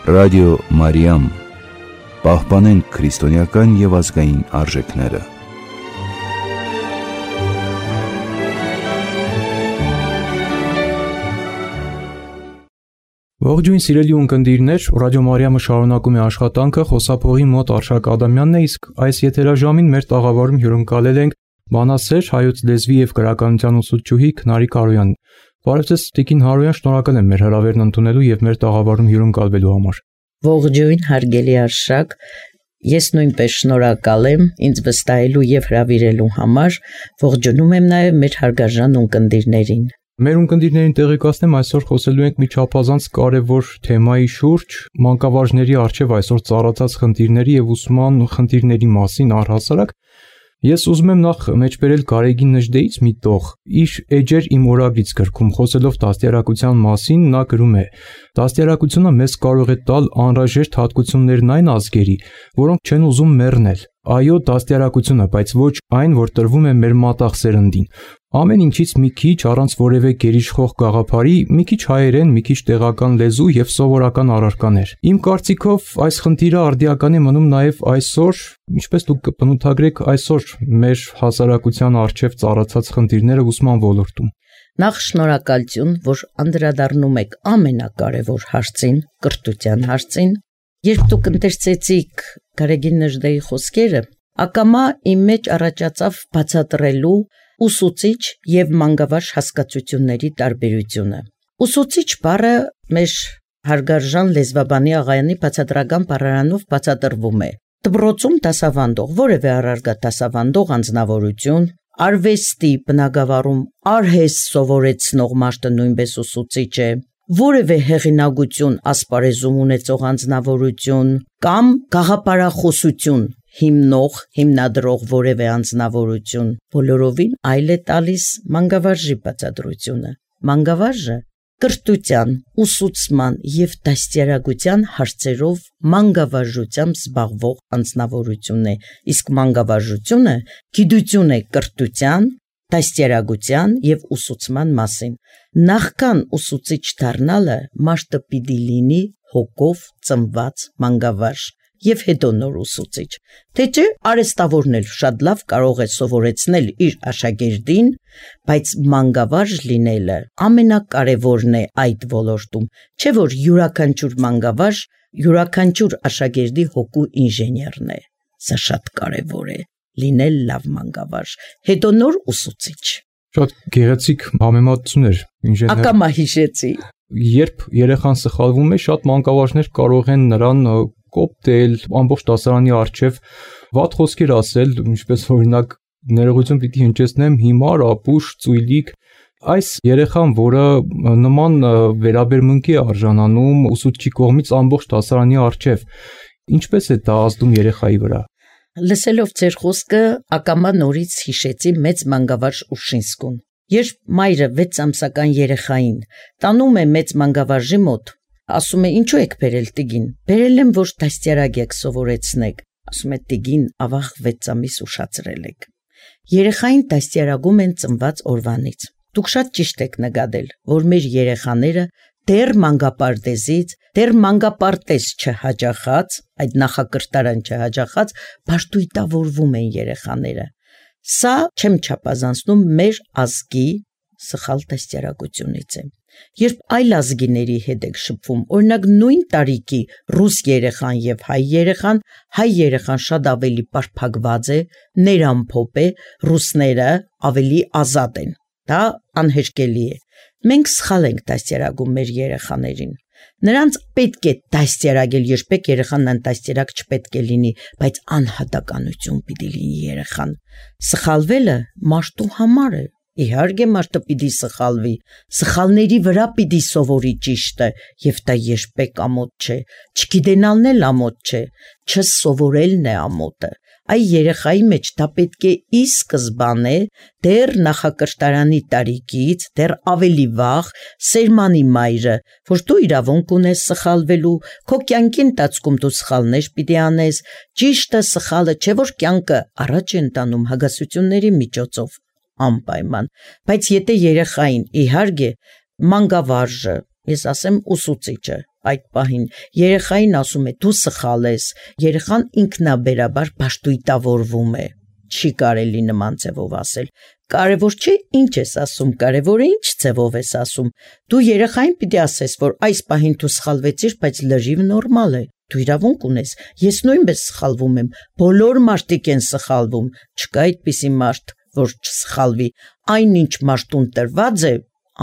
Ռադիո Մարիամ, պահպանենք քրիստոնեական և ազգային արժեքները։ Ողջույն սիրելի ունկնդիրներ, Ռադիո Մարիամը շարունակում է աշխատանքը, խոսափողի մոտ Արշակ Ադամյանն է, իսկ այս եթերաժամին մեր տաղավարում հյուրընկալել ենք բանասեր, հայոց լեզվի և գրականության ուսուցչուհի Քնարիկ Հարոյանին։ Բարև ձեզ, Տիկին Հարոյան, շնորհակալ եմ մեր հրավերն ընդունելու և մեր տաղավարում հյուրընկալվելու համար։ Ողջույն, հարգելի Արշակ, ես նույնպես շնորհակալ եմ ինձ վստահելու և հրավիրելու համար, ողջունում եմ նաև մեր հարգարժան ունկնդիրներին։ Մեր ունկնդիրներին տեղեկացնեմ, այսօր խոսելու ենք մի չափազանց կարևոր թեմայի շուրջ, մանկավարժների առջև այսօր ծառացած խնդիրների և ուսման խնդիրների մասին առհասարակ։ Ես ուզում եմ նախ մեջբերել Գարեգին Նժդեից մի տող։ Իր «Էջեր իմ օրագրից» գրքում խոսելով դաստիարակության մասին, նա գրում է. «Դաստիարակությունը մեզ կարող է տալ անհրաժեշտ հատկություններն այն ազգերի, որոնք չեն ուզում մեռնել։ Այո, դաստիարակությունը, բայց ոչ այն, որ տրվում է մեր մատաղ սերնդին։ Ամեն ինչից մի քիչ, առանց որևէ գերիշխող գաղափարի, մի քիչ հայերեն, մի քիչ տեղական լեզու և սովորական առարկաներ։ Իմ կարծիքով այս խնդիրը արդիական է մնում նաև այսօր, ինչպես դուք կբնութագրեք այսօր մեր հասարակության առջև ծառացած խնդիրները ուսման ոլորտում»։ Նախ շնորհակալություն, որ անդրադառնում եք ամենակարևոր հարցին, կրթության հարցին։ Երբ դուք ընթերցեցիք Գարեգին Նժդեի խոսքերը, ակամա իմ մեջ առաջացավ բացատրելու ուսուցիչ և մանկավարժ հասկացությունների տարբերությունը։ Ուսուցիչ բառը մեր հարգարժան լեզվաբանի Աղայանի բացատրական բառարանով բացատրվում է դպրոցում դասավանդող, որևէ առարգա դասավանդող անձնավորություն, արվեստի բնագավառում արհեստ սովորեցնող մարդը նույնպես ուսուցիչ է, որևէ հեղինակություն ասպարեզում ունեցող անձնավորություն կամ գաղափարախոսություն հիմնադրող որևէ անձնավորություն, բոլորովին այլ է տալիս մանկավարժի բացատրությունը։ Մանկավարժը կրթության, ուսուցման և դաստիարակության հարցերով մանկավարժությամբ զբաղվող անձնավորություն է, իսկ մանկավարժությունը գիտություն է կրթության, դաստիարակության և ուսուցման մասին։ Նախքան ուսուցիչ դառնալը մարդը պիտի լինի հոգով ծնված մանկավարժ և հետո նոր ուսուցիչ։ Թե չէ, արհեստավորն էլ շատ լավ կարող է սովորեցնել իր աշակերտին, բայց մանկավարժ լինելը ամենակարևորն է այդ ոլորտում, չէ՞ որ յուրաքանչյուր մանկավարժ յուրաքանչյուր աշակերտի հոգու ինժեներն է։ Սա շատ կարևոր է, լինել լավ մանկավարժ, հետո նոր ուսուցիչ։ Շատ գեղեցիկ համեմատություն էր, ինժեներ։ Ակամա հիշեցի։ Երբ երեխան սխալվում է, շատ մանկավարժներ կարող են նրան կոպտել, ամբողջ դասարանի առջև վատ խոսքեր ասել, ինչպես օրինակ ներողություն պիտի հնչեցնեմ, հիմար, ապուշ, ծույլիկ։ Այս երեխան, որը նման վերաբերմունքի է արժանանում ուսուցչի կողմից ամբողջ դասարանի առջև, ինչպես է դա ազդում երեխայի վրա։ Լսելով ձեր խոսքը, ակամա նորից հիշեցի մեծ մանկավարժ Ուշինսկուն։ Երբ մայրը 6 ամսական երեխային տանում է մեծ մանկավարժի մոտ, ասում է. «Ինչու եք բերել տիկին»։ «Բերել եմ, որ դաստիարակ եք սովորեցնեք»։ Ասում է. «Տիկին, ավաղ 6 ամիս ուշացրել եք»։ Երեխային դաստիարակում են ծնված օրվանից։ Դուք շատ ճիշտ եք նկատել, որ մեր երեխաները դեռ մանկապարտեզից, դեռ մանկապարտեզ չհաճախած, այդ նախակրթարան չհաճախած, բաժտույտավորվում են երեխաները։ Սա չեմ չափազանցնում մեր ազգի սխալ դաստիարակությունից է։ Երբ այլ ազգիների հետ եք շփվում, օրինակ նույն տարիքի ռուս երեխան և հայ երեխան շատ ավելի պարփակված է, ներամփոփ է, ռուսները ավելի ազատ են։ Դա անհերքելի է։ Մենք սխալ ենք դաստիարակում մեր երեխաներին։ Նրանց պետք է դաստիարակել, երբեք երեխան անդաստիարակ չպետք է լինի, բայց անհատականություն պիտի լինի երեխան։ Սխալվելը մարդու համար է։ Իհարկե մարդը պիտի սխալվի, սխալների վրա պիտի սովորի ճիշտը, և դա երբեք ամոթ չէ, չգիտենալն էլ ամոթ չէ, չսովորելն է ամոթը։ Այ երեխայի մեջ դա պետք է ի սկզբանե դեռ նախակրթարանի տարիքից, դեռ ավելի վաղ սերմանի մայրը, որ դու իրավունք ունես սխալվելու, քո կյանքի ընթացքում դու սխալներ պիտի անես, ճիշտը սխալը չէ որ կյանքը առաջ է ընտանում հագասությունների միջոցով, անպայման, բայց եթե երեխային իհարկե մանկավարժը, ես ասեմ ուսուցիչը, այդ պահին, երեխային ասում է դու սխալ ես, երեխան ինքնաբերաբար պաշտույտավորվում է։ Չի կարելի նման ձևով ասել։ Կարևոր չէ ինչ ես ասում, կարևորը ինչ ձևով ես ասում։ Դու երեխային պիտի ասես, որ այս պահին դու սխալվեցիր, բայց լրիվ նորմալ է։ Դու իրավունք ունես, ես նույնպես սխալվում եմ, բոլոր մարդիկ են սխալվում, չկա այդպիսի մարդ, որ չսխալվի, այնինչ մարդուն տրված է,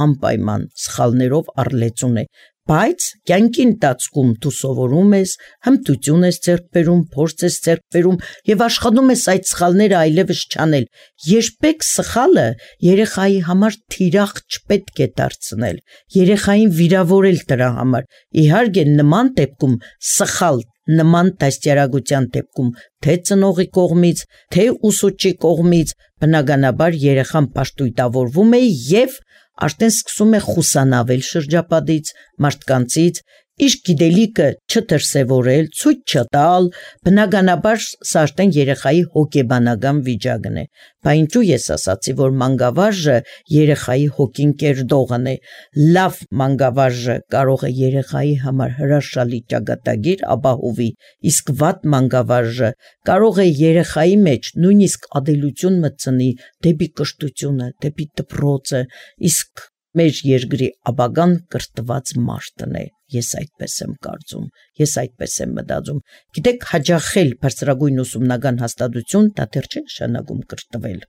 անպայման սխալներով առլեցուն է, բայց կյանքի ընթացքում դու սովորում ես, հմտություն ես ձեռք բերում, փորձ ես ձեռք բերում եւ աշխատում ես այդ սխալները այլևս չանել։ Երբեք սխալը երեխայի համար թիրախ չպետք է դարձնել, երեխային վիրավորել դրա համար։ Իհարկե նման դեպքում սխալ նման դաստիարակության դեպքում թե ծնողի կողմից, թե ուսուցչի կողմից բնականաբար երեխան պաշտույտավորվում է եւ արդեն սկսում է խուսանավել շրջապատից, մարդկանցից, իր գիտելիքը չդրսևորել, ցույց չտալ, բնականաբար սա արդեն երեխայի հոգեբանական վիճակն է։ Բայց ինչու ես ասացի, որ մանկավարժը երեխայի հոգին կերտողն է։ Լավ մանկավարժը կարող է երեխայի համար հրաշալի ճակատագիր ապահովի, իսկ վատ մանկավարժը կարող է երեխայի մեջ նույնիսկ ադելություն մտցնի դեպի կրթությունը, դեպի դպրոցը, իսկ մեր երկրի ապագան կրթված մարդն է։ Ես այդպես եմ կարծում, ես այդպես եմ մտածում։ Գիտեք, հաջախել բարձրագույն ուսումնական հաստատություն դա դեռ չի նշանակում կրթվել։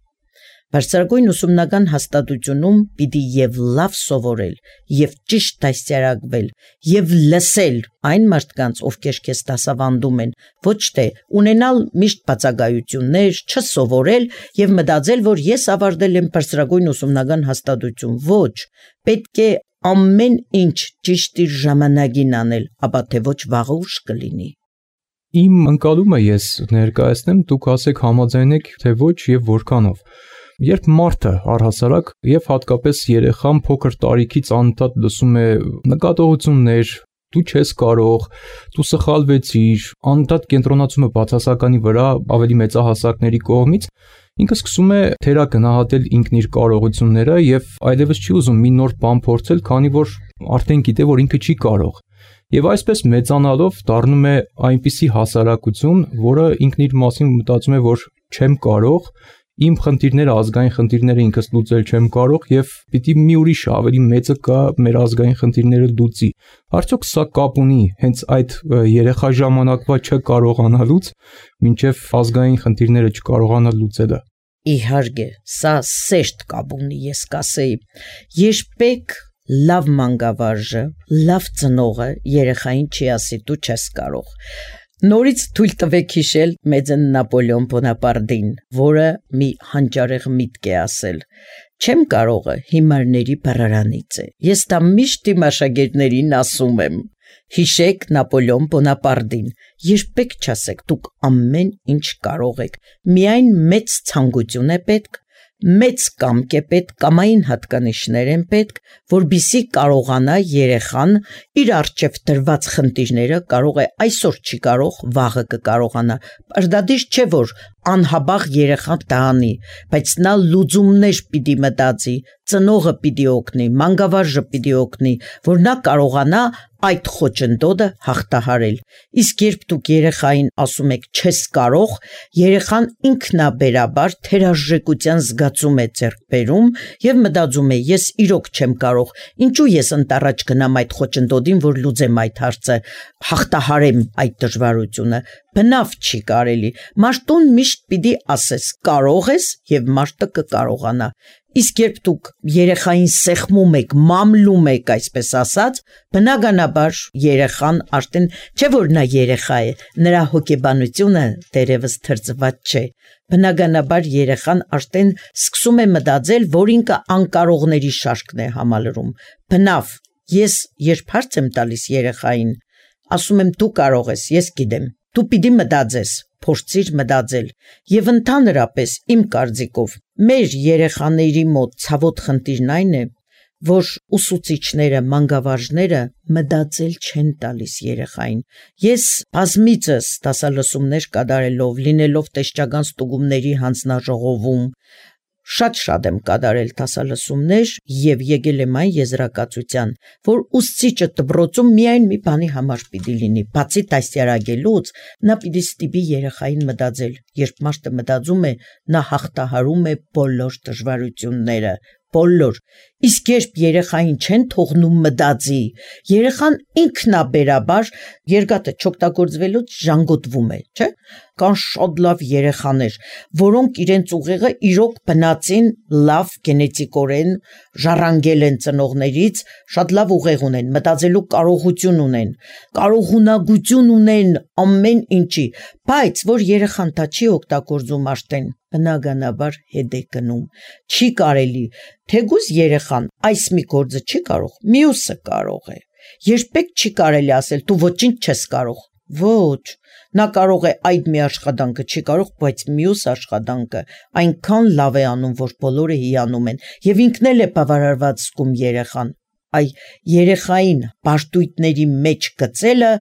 Բարձրագույն ուսումնական հաստատությունում պիտի եւ լավ սովորել, եւ ճիշտ դաստիարակվել, եւ լսել այն մարդկանց, ովքեր քեզ դասավանդում են, ոչ թե ունենալ միշտ բացակայություններ, չսովորել եւ մտածել, որ ես ավարտել եմ բարձրագույն ուսումնական հաստատություն։ Ոչ, պետք է ամեն ինչ ճիշտ իր ժամանակին անել, ապա թե ոչ վաղը ուշ կլինի։ Իմ ընկալումը ես ներկայացնեմ, դուք ասեք համաձայնեք թե ոչ եւ որքանով։ Երբ մարդը առհասարակ եւ հատկապես երեխան փոքր տարիքից անընդհատ լսում է նկատողություններ, դու չես կարող, դու սխալվեցիր, անընդհատ կենտրոնացումը բացասականի վրա ավելի մեծահասակների կողմից, ինքը սկսում է թերագնահատել ինքն իր կարողությունները եւ այլևս չի ուզում մի նոր բան փորձել, քանի որ արդեն գիտե, որ ինքը չի կարող։ Եվ այսպես մեծանալով դառնում է այնպիսի հասարակություն, որը ինքն իր մասին մտածում է, որ չեմ կարող, իմ խնդիրները, ազգային խնդիրները ինքս լուծել չեմ կարող եւ պիտի մի ուրիշ ավելի մեծը կա մեր ազգային խնդիրները լուծի։ Արդյոք սա կապ ունի հենց այդ երեխա ժամանակվա չկարողանալուց մինչեւ ազգային խնդիրները չկարողանալ լուծելը։ Իհարկե, սա սերտ կապ ունի, ես կասեի։ Երբեք լավ մանկավարժը, լավ ծնողը երեխային չի ասի դու չես կարող։ Նորից թույլ տվեք հիշել մեծն Նապոլեոն Բոնապարտին, որը մի հանճարեղ միտք է ասել. չեմ կարողը հիմարների բառարանից է։ Ես դա միշտ իմ աշակերտներին ասում եմ։ Հիշեք Նապոլեոն Բոնապարտին, երբեք չասեք դուք ամեն ինչ կարող եք։ Միայն մեծ ցանկություն է պետք, մեծ կամք է պետք, կամային հատկանիշներ են պետք, որբիսի կարողանա երեխան իր առջև դրված խնդիրները կարող է այսօր չի կարող, վաղը կկարողանա։ Պարտադիր չէ որ անհաբաղ երեխան տանի, բայց նա լուծումներ պիտի մտածի, ծնողը պիտի օգնի, մանկավարժը պիտի օգնի, որ նա կարողանա այդ խոչընդոտը հաղթահարել։ Իսկ երբ դուք երեխային ասում եք չես կարող, երեխան ինքնաբերաբար թերարժեքության զգացում է ձեռք բերում եւ մտածում է ես իրոք չեմ կարող, ինչու ես ընտառաջ գնամ այդ խոչընդոտին, որ լուծեմ այդ հարցը, հաղթահարեմ այդ դժվարությունը։ Բնավ չի կարելի։ Մարդուն միշտ պիտի ասես կարող ես եւ մարդը կկարողանա։ Իսկ երբ դուք երեխային սեղմում եք, մամլում եք, այսպես ասած, բնականաբար երեխան արդեն չէ որ նա երեխա է, նրա հոգեբանությունը դերևս թրծված չէ։ Բնականաբար երեխան արդեն սկսում է մտածել, որ ինքը անկարողների շարքն է համալրում։ Բնավ, ես երբ հարց եմ տալիս երեխային, ասում եմ դու կարող ես, ես գիտեմ, դու պիտի մտածես, փորձիր մտածել եւ ընդհանրապես իմ կարծիքով մեր երեխաների մոտ ցավոտ խնդիրն այն է, որ ուսուցիչները, մանկավարժները մտածել չեն տալիս երեխային։ Ես բազմիցս դասալսումներ կատարելով, լինելով տեսչական ստուգումների հանձնաժողովում, Շատ եմ կատարել դասալսումներ եւ եկել եմ այն եզրակացության, որ ուսուցիչը դպրոցում միայն մի բանի համար պիտի լինի, բացի դաստիարակելուց, նա պիտի ստիպի երեխային մտածել, երբ մարդը մտածում է, նա հաղթահարում է բոլոր դժվարությունները, բոլոր, իսկ երբ երեխային չեն թողնում մտածի, երեխան ինքնաբերաբար երկաթը չօգտագործվելուց ժանգոտվում է, չէ՞։ Կան շատ լավ երեխաներ, որոնք իրենց ուղեղը իրոք բնածին լավ գենետիկորեն ժառանգել են ծնողներից, շատ լավ ուղեղ ունեն, մտածելու կարողություն ունեն, կարողունակություն ունեն ամեն ինչի, բայց որ երեխան դա չի օգտագործում արդեն, բնականաբար հետ է գնում, չի կարելի, թեկուզ երեխան այս մի գործը չի կարող, մյուսը կարող է, երբեք չի կարելի ասել դու ոչինչ չես կարող, ոչ, նա կարող է այդ մի աշխատանքը չի կարող, բայց մյուս աշխատանքը այնքան լավ է անում, որ բոլորը հիանում են, եւ ինքն էլ է բավարարված զգում երեխան, այ երեխային պաշտույթների մեջ գցելը,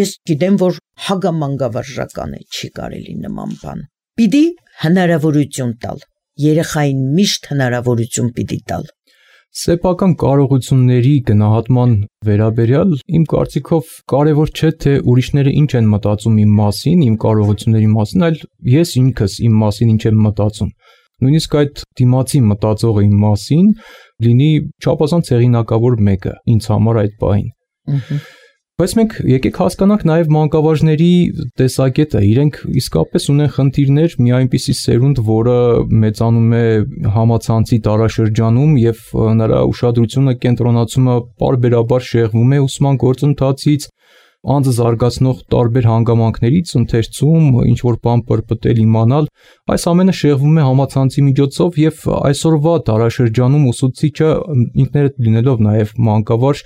ես գիտեմ, որ հագամանգավարժական է, չի կարելի նման բան, պիտի հնարավորություն տալ, երեխային միշտ հնարավորություն պիտի տալ։ Սեփական կարողությունների գնահատման վերաբերյալ իմ կարծիքով կարևոր չէ թե ուրիշները ինչ են մտածում իմ մասին, իմ կարողությունների մասին, այլ ես ինքս իմ մասին ինչ եմ մտածում։ Նույնիսկ այդ դիմացի մտածողը իմ մասին լինի չափազանց հեղինակավոր մեկը ինձ համար այդ պահին։ Բայց մենք եկեք հասկանանք նաև մանկավարժների տեսակետը, իրենք իսկապես ունեն խնդիրներ մի այնպիսի սերունդ, որը մեծանում է համացանցի տարաշրջանում եւ նրա ուշադրությունը կենտրոնացումը պարբերաբար շեղվում է ուսման գործընթացից, անձը զարգացնող տարբեր հանգամանքներից ընթերցում, ինչ որ բան պրպտել իմանալ, այս ամենը շեղվում է համացանցի միջոցով եւ այսօրվա տարաշրջանում ուսուցիչը ինքներդ լինելով նաեւ մանկավարժ,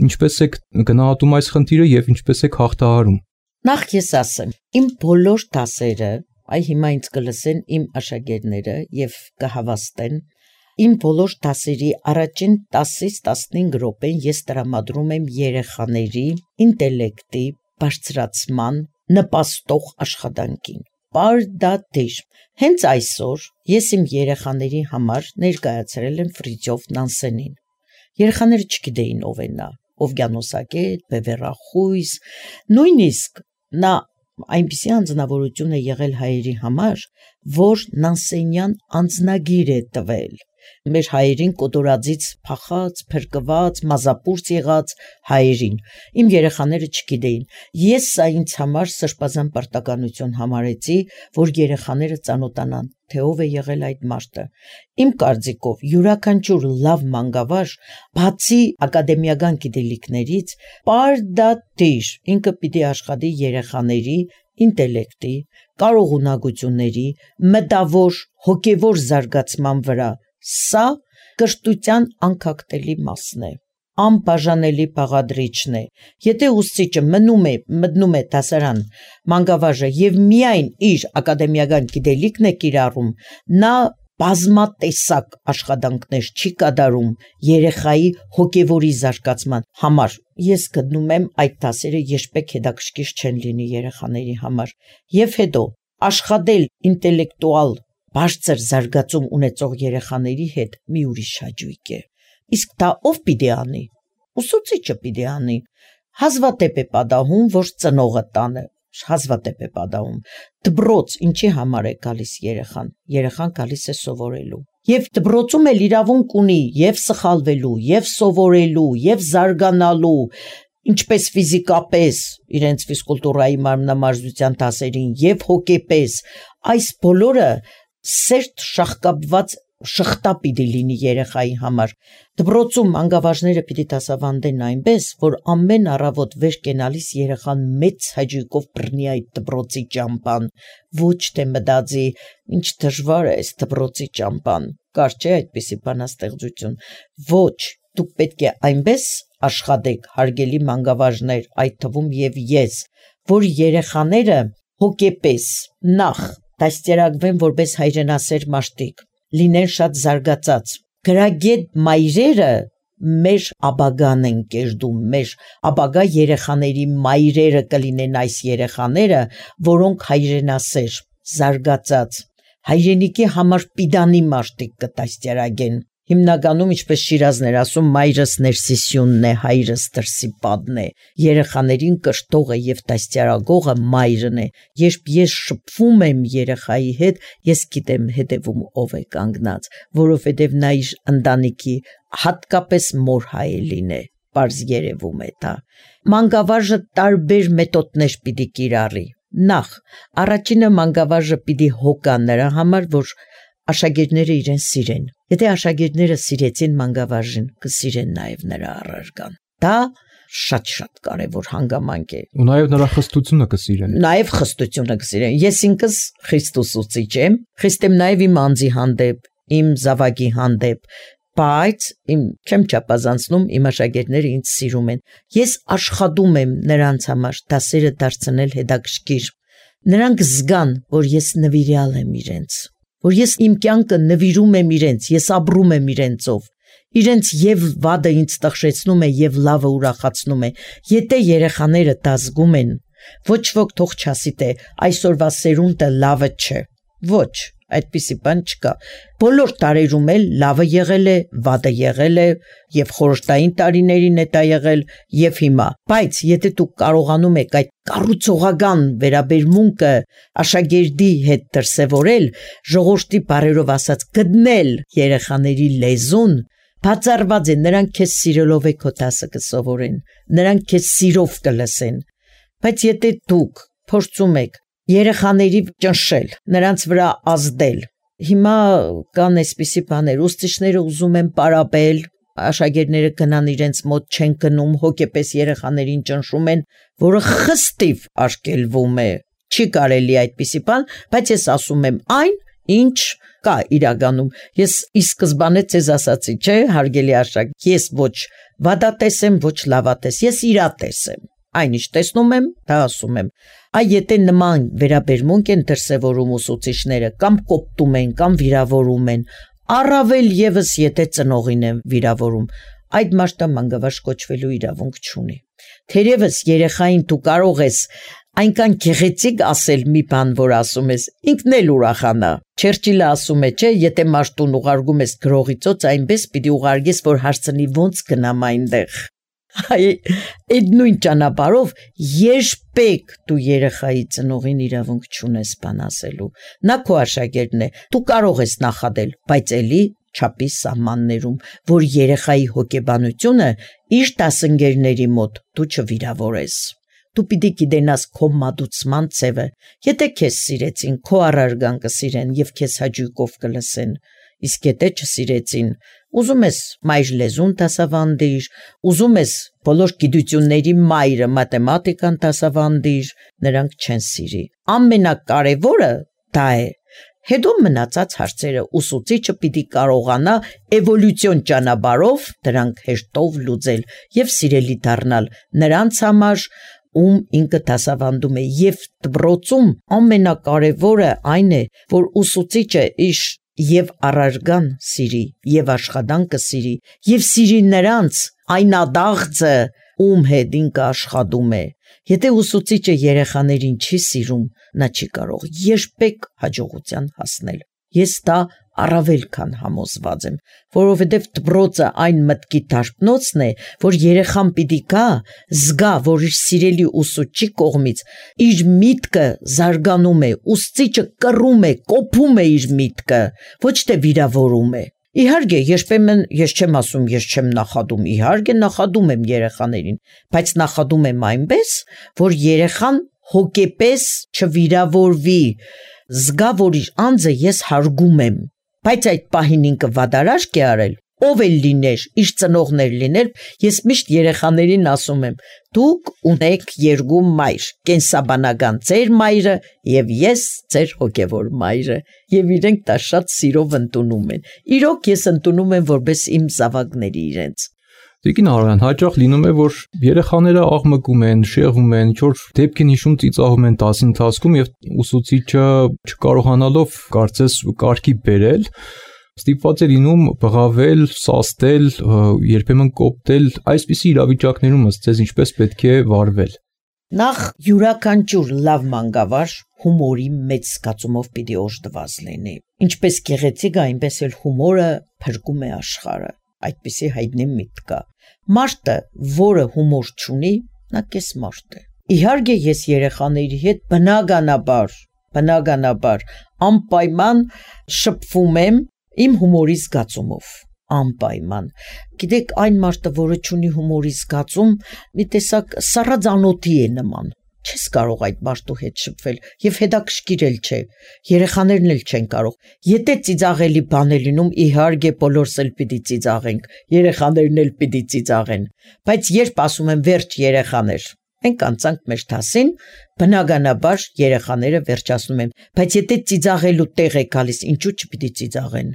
ինչպես է գնահատում այս խնդիրը եւ ինչպես է հաղթահարում։ Նախ ես ասեմ, իմ բոլոր դասերը, այ հիմա ինձ կլսեն իմ աշակերտները եւ կհավաստեն, իմ բոլոր դասերի առաջին 10-ից 15 րոպեն ես տրամադրում եմ երեխաների ինտելեկտի բարձրացման նպաստող աշխատանքին։ Պարդատիր։ Հենց այսօր ես իմ երեխաների համար ներկայացրել եմ Ֆրիդյոֆ Նանսենին։ Երեխաները չգիտեին ով է նա, Օվկիանոսագետ, բևեռախույս, նույնիսկ նա այնպիսի անձնավորություն է եղել հայերի համար, որ Նանսենյան անձնագիր է տվել։ Մեր հայերին կոտորածից փախած, փրկված, մազապուրց եղած հայերին։ Իմ երեխաները չգիտեին։ Ես սա ինձ համար սրբազան պարտականություն համարեցի, որ երեխաները ծանոթանան, թե ով է եղել այդ մարդը։ Իմ կարծիքով յուրաքանչյուր լավ մանկավարժ, բացի ակադեմիական գիտելիքներից, պարդատիր, ինքը պիտի աշխատի երեխաների ինտելեկտի, կարողունակությունների, մտավոր, հոգևոր զարգացման վրա։ Սա կրթության անկախտելի մասն է, անբաժանելի բաղադրիչն է։ Եթե ուսուցիչը մտնում է դասարան մանկավարժը եւ միայն իր ակադեմիական գիտելիքն է կիրառում, նա բազմատեսակ աշխատանքներ չի կատարում երեխայի հոգևորի զարգացման համար։ Ես գտնում եմ այդ դասերը երբեք հետաքրքիր չեն լինի երեխաների համար։ Եվ հետո աշխատել ինտելեկտուալ բարձր զարգացում ունեցող երեխաների հետ մի ուրիշ հաճույք է։ Իսկ դա ով պիտի անի։ Ուսուցիչը պիտի անի։ Հազվադեպ է պատահում, որ ծնողը տանը, հազվադեպ է պատահում։ Դպրոց ինչի համար է գալիս երեխան։ Երեխան գալիս է սովորելու։ Եվ դպրոցում էլ իրավունք ունի եւ սխալվելու, եւ սովորելու, եւ զարգանալու, ինչպես ֆիզիկապես իրենց ֆիզկուլտուրայի մարմնամարզության դասերին եւ հոգեպես, այս բոլորը սերտ շահկապված շղթա պիտի լինի երեխայի համար։ Դպրոցում մանկավարժները պիտի դասավանդեն այնպես, որ ամեն առավոտ վեր կենալիս երեխան մեծ հաճույքով բռնի այդ դպրոցի ճամփան, ոչ թե մտածի, ինչ դժվար է այս դպրոցի ճամփան, կար չէ այդպիսի բանաստեղծություն, ոչ, դուք պետք է այնպես աշխատեք, հարգելի մանկավարժներ, այդ թվում եւ ես, որ երեխաները հոգեպես նախ դաստիարակվեն որպես հայրենասեր մարդիկ, լինեն շատ զարգացած։ Գրագետ մայրերը մեր ապագան են կերտում, մեր ապագա երեխաների մայրերը կլինեն այս երեխաները, որոնք հայրենասեր, զարգացած, հայրենիքի համար պիդանի մարտիկ կտաստիարագեն։ Հիմնականում, ինչպես Շիրազներ ասում, մայրս ներսիսյունն է, հայրս դրսիպադն է, երեխաներին կշտողը եւ տաստիարագողը մայրն է։ Երբ ես շփվում եմ երեխայի հետ, ես գիտեմ հետևում ով է կանգնած, որովհետեւ նա իր ընտանիքի հատկապես մոր հայելին է, պարզ երևում է դա։ Մանկավարժը տարբեր մեթոդներ պիտի կիրառի։ Նախ, առաջինը մանկավարժը պիտի հոգա նրա համար, որ աշակերտները իրեն սիրեն։ Եթե աշակերտները սիրեցին մանկավարժին, կսիրեն նաև նրա առարգան։ Դա շատ կարևոր հանգամանք է։ Ու նաև նրա խստությունը կսիրեն։ Նաև խստությունը կսիրեն։ Ես ինքս Քրիստոս ուսուցիչ եմ, խիստ եմ նաև իմ անձի հանդեպ, իմ զավակի հանդեպ, բայց չեմ չափազանցնում, իմ աշակերտները ինձ սիրում են։ Ես աշխատում եմ նրանց համար դասերը դարձնել հետաքրքիր։ Նրանք զգան, որ ես նվիրյալ եմ իրենց, որ ես իմ կյանքը նվիրում եմ իրենց, ես ապրում եմ իրենցով։ Իրենց եւ վադը ինձ տխրեցնում է եւ լավը ուրախացնում է։ Եթե երեխաները դա զգում են, ոչ ոք թող չասի թե այսօրվա սերունդը լավը չէ։ Ոչ, այդպիսի բան չկա։ Բոլոր տարերում էլ լավը եղել է, վադը եղել է, եւ խորհրդային տարիներին է դա եղել, եւ հիմա։ Բայց եթե դուք կարողանում եք այդ կառուցողական վերաբերմունքը աշակերտի հետ դրսևորել, ժողովրդի բարերով ասած գտնել երեխաների լեզուն, բացառված է, նրանք քեզ սիրելով է քո դասը կսովորեն, նրանք քեզ սիրով կլսեն։ Բայց եթե դուք փորձում եք երեխաների ճնշել, նրանց վրա ազդել, հիմա կան այսպիսի բաներ, ուսուցիչները ուզում են պարապել, աշակերտները գնան իրենց մոտ չեն գնում, հոգեպես երեխաներին ճնշում են, որը խստիվ արգելվում է։ Չի կարելի այդպիսի բան, բայց ես ասում եմ այն, ինչ կա իրականում։ Ես ի սկզբանե ցեզ ասացի, չէ, հարգելի աշակ, ես ոչ վադատես եմ, ոչ լավատես, ես իրատես եմ։ Այնինչ տեսնում եմ, դա ասում եմ։ Այ եթե նման վերաբերմունք են դրսևորում ուսուցիչները, կամ կոպտում են, կամ վիրավորում են, առավել եւս եթե ծնողին են վիրավորում, այդ մարդը մանկավարժ կոչվելու իրավունք չունի։ Թերևս երեխային դու կարող ես այնքան գեղեցիկ ասել մի բան, որ ասում ես, ինքն էլ ուրախանա։ Չերչիլը ասում է, չէ, եթե մարդուն ուղարկում ես գրողի ծոց, այնպես պիտի ուղարկես, որ հարցնի ոնց գնամ այնտեղ։ Այդ նույն ճանապարհով երբեք դու երեխայի ծնողին իրավունք չունես բան ասելու։ Նա քո աշակերտն է, դու կարող ես նախադել, բայց էլի չափի սահմաններում, որ երեխայի հոգեբանությունը իր դասընկերների մոտ դու չվիրավորես։ Դու պիտի գիտենաս քո մատուցման ձևը։ Եթե քեզ սիրեցին, քո առարգան կսիրեն եւ քեզ հաճույքով կլսեն։ Իսկ եթե չսիրեցին, ուզում ես մայր լեզուն դասավանդիր, ուզում ես բոլոր գիտությունների մայրը մաթեմատիկան դասավանդիր, նրանք չեն սիրի։ Ամենակարևորը դա է։ Հետո մնացած հարցերը ուսուցիչը պիտի կարողանա էվոլյուցիոն ճանապարհով դրանք հեշտով լուծել եւ սիրելի դառնալ նրանց համար, ում ինքը դասավանդում է, եւ դպրոցում ամենակարևորը այն է, որ ուսուցիչը իր եւ առարգան սիրի, եւ աշխատանքը սիրի, եւ սիրի նրանց այն ադաղձը, ում հետ ինքը աշխատում է։ Եթե ուսուցիչը երեխաներին չի սիրում, նա չի կարող երբեք հաջողության հասնել։ Ես դա առավել քան համոզված եմ, որովհետև դպրոցը այն մտքի դարբնոցն է, որ երեխան պիտի գա, զգա, որ իր սիրելի ուսուցչի կողմից իր միտքը զարգանում է, ուսուցիչը կռում է, կոփում է իր միտքը, ոչ թե վիրավորում է։ Իհարկե, երբեմն ես չեմ ասում, ես չեմ նախադում, իհարկե նախադում եմ երեխաներին, բայց նախադում եմ այնպես, որ երեխան հոգեպես չվիրավորվի, զգա, որ իր անձը ես հարգում եմ, բայց այդ պահին ինքը վադարաշք է արել, ով էլ լիներ, իր ծնողներ լիներ, ես միշտ երեխաներին ասում եմ, դուք ունեք երկու մայր, կենսաբանական ձեր մայրը եւ ես ձեր հոգեվոր մայրը, եւ իրենք դա շատ սիրով ընդունում են։ Իրոք ես ընդունում եմ որպես իմ զավակների իրենց։ Տիկին Արոյան, հաճախ լինում է, որ երեխաները աղմկում են, շեղվում են, ինչ-որ դեպքին հիշում ծիծաղում են դասի ընթացքում եւ ուսուցիչը չկարողանալով կարծես կարգի բերել, ստիպված է լինում բղավել, սաստել, երբեմն կոպտել, այսպիսի իրավիճակներում ըստ ձեզ ինչպես պետք է վարվել։ Նախ յուրաքանչյուր լավ մանկավարժ հումորի մեծ զգացումով պիտի օժտված լինի։ Ինչպես գեղեցիկ, այնպես էլ հումորը փրկում է աշխարհը։ Այդպիսի հայտնի միտք կա։ Մարդը, որը հումոր չունի, նա կես մարդ է։ Իհարկե ես երեխաների հետ բնականաբար անպայման շփվում եմ իմ հումորի զգացումով, անպայման։ Գիտեք, այն մարդը, որը չունի հումորի զգացում, մի տեսակ սառածանոթի է նման։ Չես կարող այդ մարդու հետ շփվել եւ հետաքրքիր էլ չէ։ Երեխաներն էլ չեն կարող։ Եթե ծիծաղելի բան է լինում, իհարկե բոլորս էլ պիտի ծիծաղենք, երեխաներն էլ պիտի ծիծաղեն։ Բայց երբ ասում եմ վերջ երեխաներ, մենք անցանք մեր դասին, բնականաբար երեխաները վերջացնում են։ Բայց եթե ծիծաղելու տեղ է գալիս, ինչու չպիտի ծիծաղեն։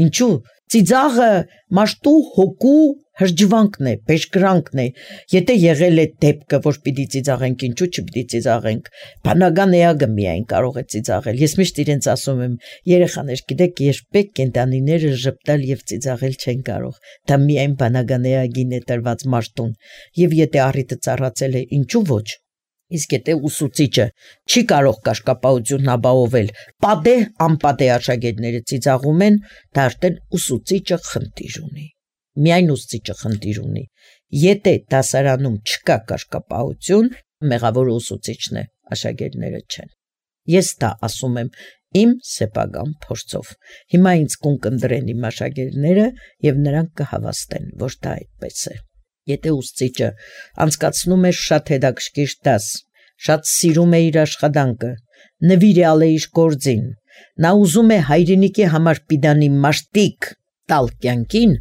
Ինչու ծիծաղը մարդու հոգու հրճվանքն է, բեժկրանքն է։ Եթե եղել է դեպքը, որ պիտի ծիծաղենք, ինչու չպիտի ծիծաղենք։ Բանական էակը միայն կարող է ծիծաղել։ Ես միշտ իրենց ասում եմ, երեխաներ, գիտեք, երբեք կենդանիները ժպտալ եւ ծիծաղել չեն կարող։ Դա միայն բանական էակին է տրված մարդուն։ Եվ եթե առիթը ծառացել է, ինչու ոչ։ Իսկ եթե ուսուցիչը չի կարող կաշկապահությունն ապահովել, պատեհ անպատեհ աշակերտները ծիծաղում են, դա արդեն ուսուցիչը խնդիր ունի։ Միայն ուսուցիչը խնդիր ունի։ Եթե դասարանում չկա կաշկապահություն, մեղավորը ուսուցիչն է, աշակերտները չեն։ Ես դա ասում եմ իմ սեփական փորձով։ Հիմա ինձ կընտրեն իմ աշակերտները եւ նրանք կհավաստեն, որ դա այդպես է։ Եթե ուսուցիչը անցկացնում է շատ հետաքրքիր դաս, շատ սիրում է իր աշխատանքը, նվիրյալ է իր գործին, նա ուզում է հայրենիքի համար պիտանի մաշտիկ տալ կյանքին,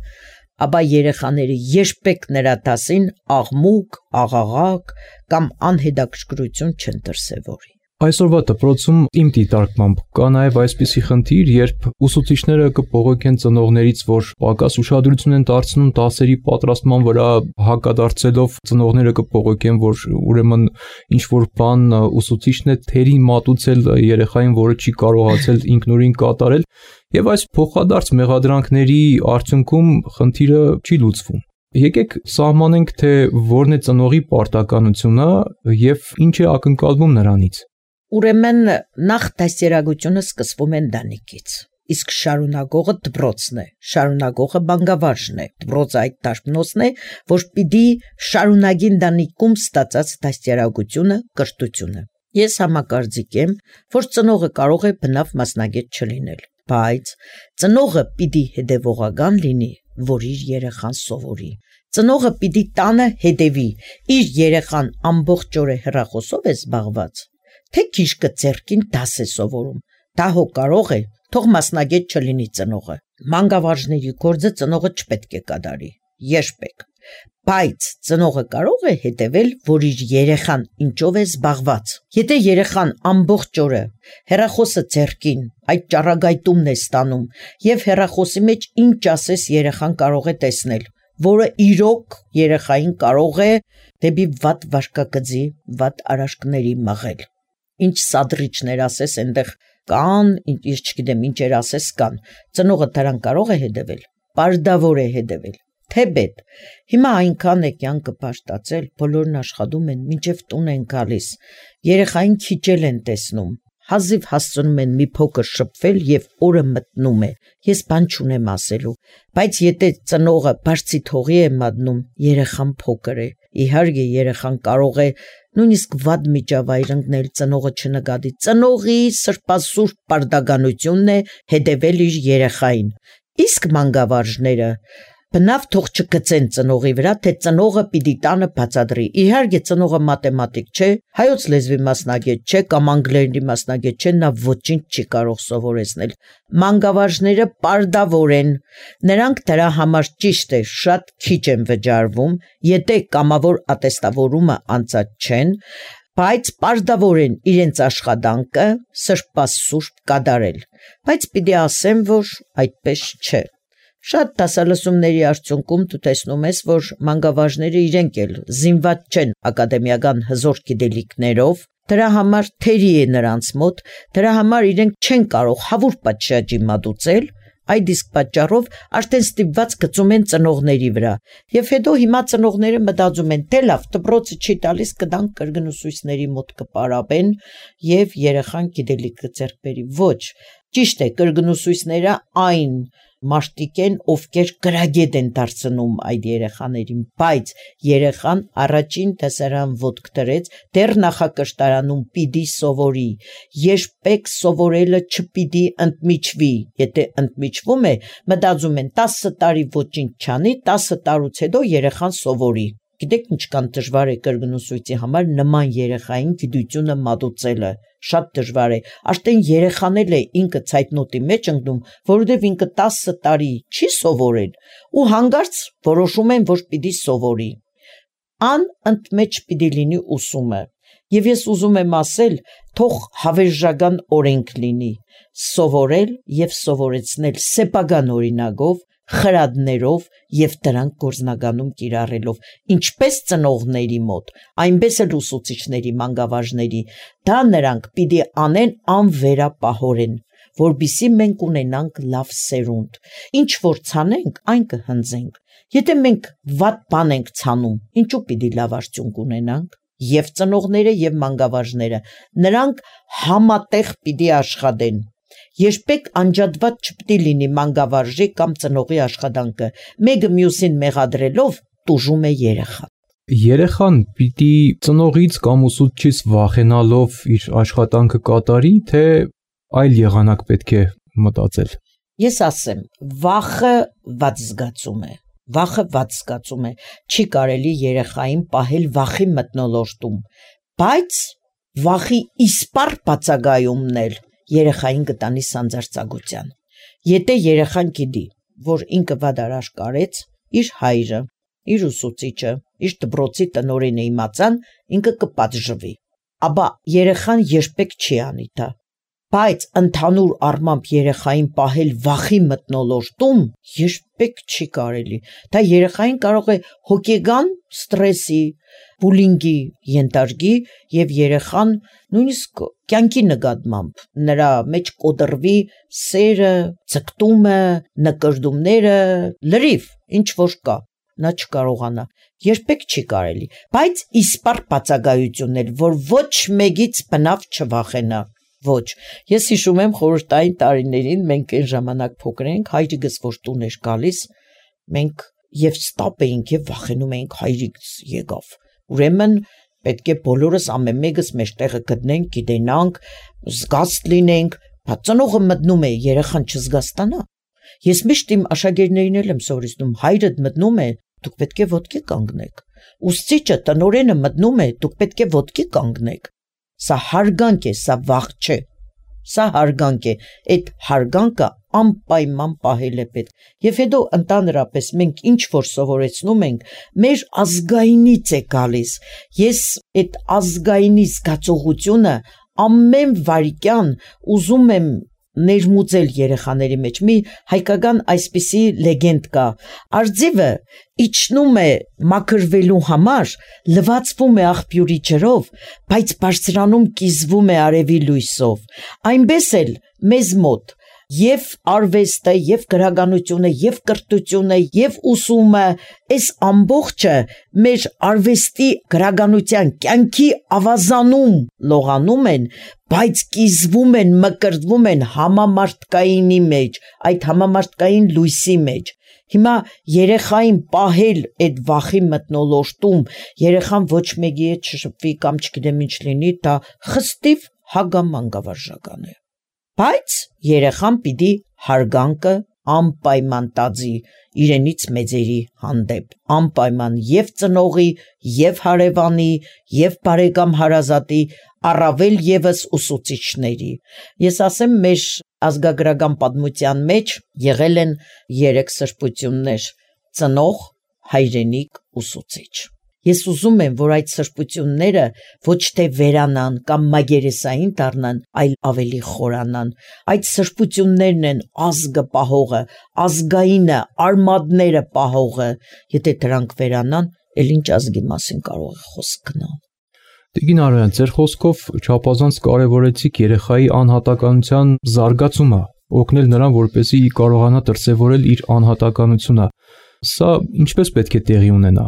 ապա երեխաները երբեք նրա դասին աղմուկ, աղաղակ կամ անհետաքրքրություն չեն դրսևորի։ Այսօրվա դպրոցում իմ դիտարկմամբ կա նաև այսպիսի խնդիր, երբ ուսուցիչները կփողոքեն ծնողներից, որ պակաս ուշադրություն են դարձնում դասերի պատրաստման վրա, հակադարձելով ծնողները կփողոքեն, որ ուրեմն ինչ որ բան ուսուցիչն է թերի մատուցել երեխային, որը չի կարողացել ինքնուրույն կատարել, եւ այս փոխադարձ մեղադրանքների արդյունքում խնդիրը չի լուծվում։ Եկեք սահմանենք, թե որն է ծնողի պարտականությունը եւ ինչ է ակնկալվում նրանից։ Ուրեմն նախ դաստիարակությունը սկսվում է ընտանիքից, իսկ շարունակողը դպրոցն է, շարունակողը բանկավարժն է, դպրոցը այդ դաշնոցն է, որ պիտի շարունակի ընտանիքում ստացած դաստիարակությունը, կրթությունը։ Ես համակարծիք եմ, որ ծնողը կարող է բնավ մասնագետ չլինել, բայց ծնողը պիտի հետևողական լինի, որ իր երեխան սովորի։ Ծնողը պիտի տանը հետևի, իր երեխան ամբողջ օրը հեռախոսով է զբաղված, թե քիշկը ձեռքին դաս է սովորում, դա հո կարող է, թող մասնագետ չլինի ծնողը։ Մանկավարժների գործը ծնողը չպետք է կատարի, երբեք։ Բայց ծնողը կարող է հետևել, որ իր երեխան ինչով է զբաղված։ Եթե երեխան ամբողջ օրը հեռախոսը ձեռքին, այդ ճառագայթումն է ստանում, եւ հեռախոսի մեջ ինչ ասես երեխան կարող է տեսնել, որը իրոք երեխային կարող է դեպի վատ վարքագծի, վատ արաշքների մղել։ Ինչ սադրիչներ ասես այնտեղ կան, ինչ չգիտեմ ինչեր ասես կան, ծնողը դրան կարող է հետևել, պարտավոր է հետևել, թեպետ։ Հիմա այնքան է կյանքը բաշտացել, բոլորն աշխատում են, մինչև տուն են գալիս, երեխային քիչել են տեսնում, հազիվ հասցնում են մի փոքր շփվել եւ օրը մտնում է։ Ես բան չունեմ ասելու, բայց եթե ծնողը բարձի թողի է մատնում, երեխան փոքր է։ Իհարկե երեխան կարող է նույնիսկ վատ միջավայր ընկնել, ծնողը չնկատի։ Ծնողի սրբասուրբ պարտականությունն է հետևել իր երեխային։ Իսկ մանկավարժները բնավ թող չգցեն ծնողի վրա, թե ծնողը պիտի տանը բացատրի։ Իհարկե ծնողը մաթեմատիկ չէ, հայոց լեզվի մասնագետ չէ կամ անգլերենի մասնագետ չէ, նա ոչինչ չի կարող սովորեցնել։ Մանկավարժները պարտավոր են, նրանք դրա համար ճիշտ է, շատ քիչ են վճարվում, եթե կամավոր ատեստավորումը անցած չեն, բայց պարտավոր են իրենց աշխատանքը սրբասուրբ կատարել։ Բայց պիտի ասեմ, որ այդպես չէ։ Շատ դասալսումների արդյունքում դու տեսնում ես, որ մանկավարժները իրենք էլ զինված չեն ակադեմիական հզոր գիտելիքներով, դրա համար թերի է նրանց մոտ, դրա համար իրենք չեն կարող հավուր պատշաճի մատուցել, Այդ իսկ պատճառով արդեն ստիպված գծում են ծնողների վրա։ Եվ հետո հիմա ծնողները մտածում են, թե լավ, դպրոցը չի տալիս, կդանք կրկնուսույցների մոտ կպարապեն եւ երեխան գիտելիք կձեռք բերի։ Ոչ, ճիշտ է, կրկնուսույցները այն մարդիկ են, ովքեր գրագետ են դարձնում այդ երեխաներին, բայց երեխան առաջին դասարան ոտք դրեց, դեռ նախակրթարանում պիտի սովորի, երբեք սովորելը չպիտի ընդմիջվի, եթե ընդմիջվում է, մտածում են 10 տարի ոչինչ չանի, 10 տարուց հետո երեխան սովորի։ Գիտեք ինչքան դժվար է կրկնուսույցի համար նման երեխային գիտությունը մատուցելը, շատ դժվար է, արդեն երեխան էլ է ինքը ցայտնոտի մեջ ընկնում, որովհետև ինքը 10 տարի չի սովորել ու հանկարծ որոշում են, որ պիտի սովորի։ Անընդմեջ պիտի լինի ուսումը։ Եվ ես ուզում եմ ասել, թող հավերժական օրենք լինի, սովորել եւ սովորեցնել սեփական օրինակով, խրատներով եւ դրանք գործնականում կիրառելով, ինչպես ծնողների մոտ, այնպես էլ ուսուցիչների, մանկավարժների, դա նրանք պիտի անեն անվերապահորեն, որբիսի մենք ունենանք լավ սերունդ, ինչ որ ցանենք, այն կհնձենք, եթե մենք վատ բան ենք ցանում, ինչու պիտի լավ արդյունք ունենանք, եւ ծնողները եւ մանկավարժները, նրանք համատեղ պիտի աշխատեն, երբեք անջատված չպիտի լինի մանկավարժի կամ ծնողի աշխատանքը, մեկը մյուսին մեղադրելով տուժում է երեխան։ Երեխան պիտի ծնողից կամ ուսուցչից վախենալով իր աշխատանքը կատարի, թե այլ եղանակ պետք է մտածել։ Ես ասեմ, վախը վատ զգացում է։ Վախը վատ զգացում է, չի կարելի երեխային պահել վախի մթնոլորտում, բայց վախի իսպառ բացակայումն էլ երեխային կտանի սանձարձակության։ Եթե երեխան գիտի, որ ինքը վատ արարք արեց, իր հայրը, իր ուսուցիչը, իր դպրոցի տնօրենը իմացան, ինքը կպատժվի, ապա երեխան երբեք չի անի դա։ Բայց ընդհանուր առմամբ երեխային պահել վախի մթնոլորտում երբեք չի կարելի։ Դա երեխային կարող է հոգեգան ստրեսի, բուլինգի ենթարկի եւ երեխան նույնիսկ կյանքի նկատմամբ նրա մեջ կոտրվի սերը, ցկտումը, նկրդումները, լրիվ, ինչ որ կա, նա չկարողանա։ Երբեք չի կարելի, բայց իսպառ բացակայություն էլ, որ ոչ մեկից բնավ չվախենա։ Ոչ, ես հիշում եմ խորհրդային տարիներին, մենք այն ժամանակ փոքր էինք, հայրիկս որ տուն էր գալիս, մենք եւ ստապ էինք եւ վախենում էինք հայրիկս եկավ։ Ուրեմն պետք է բոլորս ամեն մեկս մեր տեղը գտնենք, գիտենանք, զգաստ լինենք, բայց ծնողը մտնում է, երեխան չզգաստանա։ Ես միշտ իմ աշակերտներին եմ սովորեցնում, հայրդ մտնում է, դուք պետք է ոտքի կանգնեք։ Ուսուցիչը, տնօրենը մտնում է, դուք պետք է ոտքի կանգնեք։ Սա հարգանք է, սա վախ չէ, սա հարգանք է, այդ հարգանքը անպայման պահել է պետք։ Եվ հետո ընդհանրապես մենք ինչ որ սովորեցնում ենք, մեր ազգայինից է գալիս։ Ես այդ ազգայինի զգացողությունը ամեն վարքյան ուզում եմ ներմուծել երեխաների մեջ։ Մի հայկական այսպիսի լեգենդ կա, արձիվը իջնում է մաքրվելու համար, լվացվում է աղբյուրի ջրով, բայց բարձրանում կիզվում է արևի լույսով։ Այնպես էլ մեզ մոտ եւ արվեստը, եւ գրականությունը, եւ կրթությունը, եւ ուսումը, այս ամբողջը մեր արվեստի գրականության կյանքի ավազանում լողանում են, բայց կիզվում են, մկրտվում են համամարտկայինի մեջ, այդ համամարտկային լույսի մեջ։ Հիմա երեխային պահել այդ վախի մթնոլորտում, երեխան ոչ մեկի հետ չշփվի կամ չգիտեմ ինչ լինի, դա խստիվ հագամանկավարժական է։ Բայց երեխան պիտի հարգանքը անպայման տածի իրենից մեծերի հանդեպ, անպայման եւ ծնողի, եւ հարևանի, եւ բարեկամ հարազատի, առավել եւս ուսուցիչների։ Ես ասեմ, մեր ազգագրական պատմության մեջ եղել են 3 սրբություններ՝ ծնող, հայրենիք, ուսուցիչ։ Ես ուզում եմ, որ այդ սրբությունները ոչ թե վերանան կամ մագերեսային դառնան, այլ ավելի խորանան։ Այդ սրբություններն են ազգը պահողը, ազգայինը, արմատները պահողը։ Եթե դրանք վերանան, էլ ինչ ազգի մասին կարող է խոսք գնալ։ Տիկին Արոյան, ձեր խոսքով չափազանց կարևորեցիք երեխայի անհատականության զարգացումը, օգնել նրան, որպեսզի կարողանա դրսևորել իր անհատականությունը։ Սա ինչպես պետք է տեղի ունենա։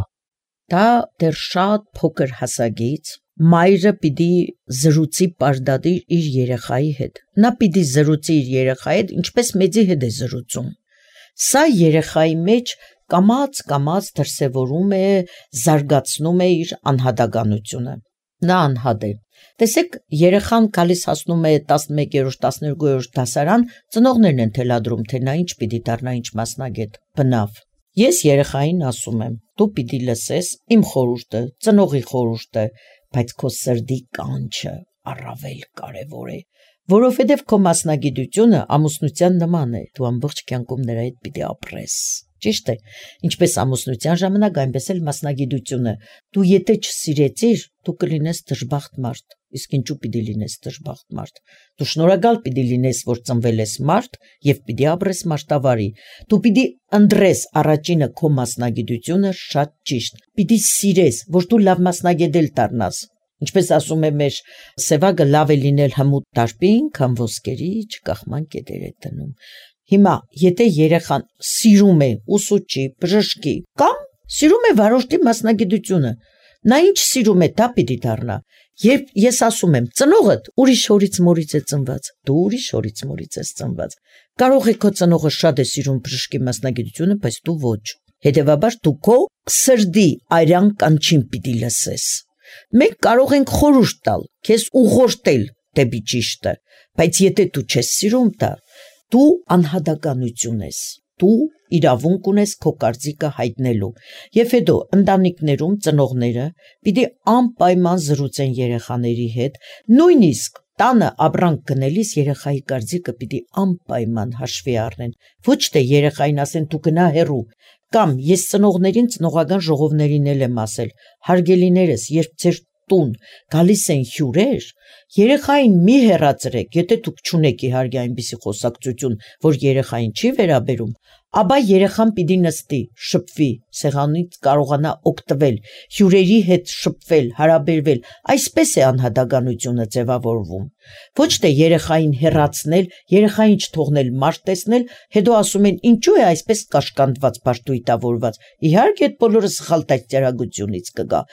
Դա դեռ շատ փոքր հասակից մայրը պիտի զրուցի պարդադիր իր երեխայի հետ։ Նա պիտի զրուցի իր երեխայի հետ, ինչպես մեծի հետ է զրուցում։ Սա երեխայի մեջ կամաց դրսևորում է, զարգացնում է իր անհատականությունը։ Նա անհատ է։ Տեսեք, երեխան գալիս հասնում է 11-րդ, 12-րդ դասարան, ծնողներն են թելադրում, թե նա ինչ պիտի դառնա, ինչ մասնագետ, բնավ։ Ես երեխային ասում եմ, դու պիտի լսես իմ խորհուրդը, ծնողի խորհուրդը, բայց քո սրտի կանչը առավել կարևոր է, որովհետև քո մասնագիտությունը ամուսնության նման է, դու ամբողջ կյանքում նրա հետ պիտի ապրես։ Ճիշտ է, ինչպես ամուսնության ժամանակ, այնպես էլ մասնագիտությունը։ Դու եթե չսիրեցիր, դու կլինես դժբախտ մարդ, իսկ ինչու պիտի լինես դժբախտ մարդ։ Դու շնորհակալ պիտի լինես, որ ծնվել ես մարդ եւ պիտի ապրես մարտավարի։ Դու պիտի ընտրես առաջինը քո մասնագիտությունը շատ ճիշտ։ Պիտի սիրես, որ դու լավ մասնագետ դառնաս։ Ինչպես ասում է մեր սևագը, լավ է լինել հմուտ դարբին, քան ոսկերի չկախման կետեր է դնում։ Հիմա, եթե երեխան սիրում է ուսուցչի, բժշկի կամ սիրում է վարորդի մասնագիտությունը, նա ինչ սիրում է, դա պիտի դառնա։ Երբ ես ասում եմ, ծնողդ ուրիշ հորից մորից է ծնված, դու ուրիշ հորից մորից ես ծնված։ Կարող է քո ծնողը շատ է սիրում բժշկի մասնագիտությունը, բայց դու ոչ։ Հետևաբար դու քո սրտի արյան կանչին պիտի լսես։ Մենք կարող ենք խորհուրդ տալ, քեզ ուղղորդել դեպի ճիշտը, բայց եթե դու չես սիրում դա, դու անհատականություն ես, դու իրավունք ունես քո կարծիքը հայտնելու։ Եվ հետո ընտանիքներում ծնողները պիտի անպայման զրուցեն երեխաների հետ, նույնիսկ տանը ապրանք գնելիս երեխայի կարծիքը պիտի անպայման հաշվի առնեն։ Ոչ թե երեխային ասեն դու գնա հեռու, կամ ես ծնողներին ծնողական ժողովներին էլ եմ ասել, հարգելիներս, երբ ձեր տուն գալիս են հյուրեր, երեխային մի հեռացրեք, եթե դուք չունեք իհարկե այնպիսի խոսակցություն, որ երեխային չի վերաբերում, ապա երեխան պիտի նստի, շփվի, սեղանից կարողանա օգտվել, հյուրերի հետ շփվել, հարաբերվել, այսպես է անհատականությունը ձևավորվում։ Ոչ թե երեխային հեռացնել, երեխային չթողնել մարդ տեսնել, հետո ասում են ինչու է այսպես կաշկանդված, բարտույտավորված։ Իհարկե այդ բոլորը սխալ դաստիարակությունից կգա։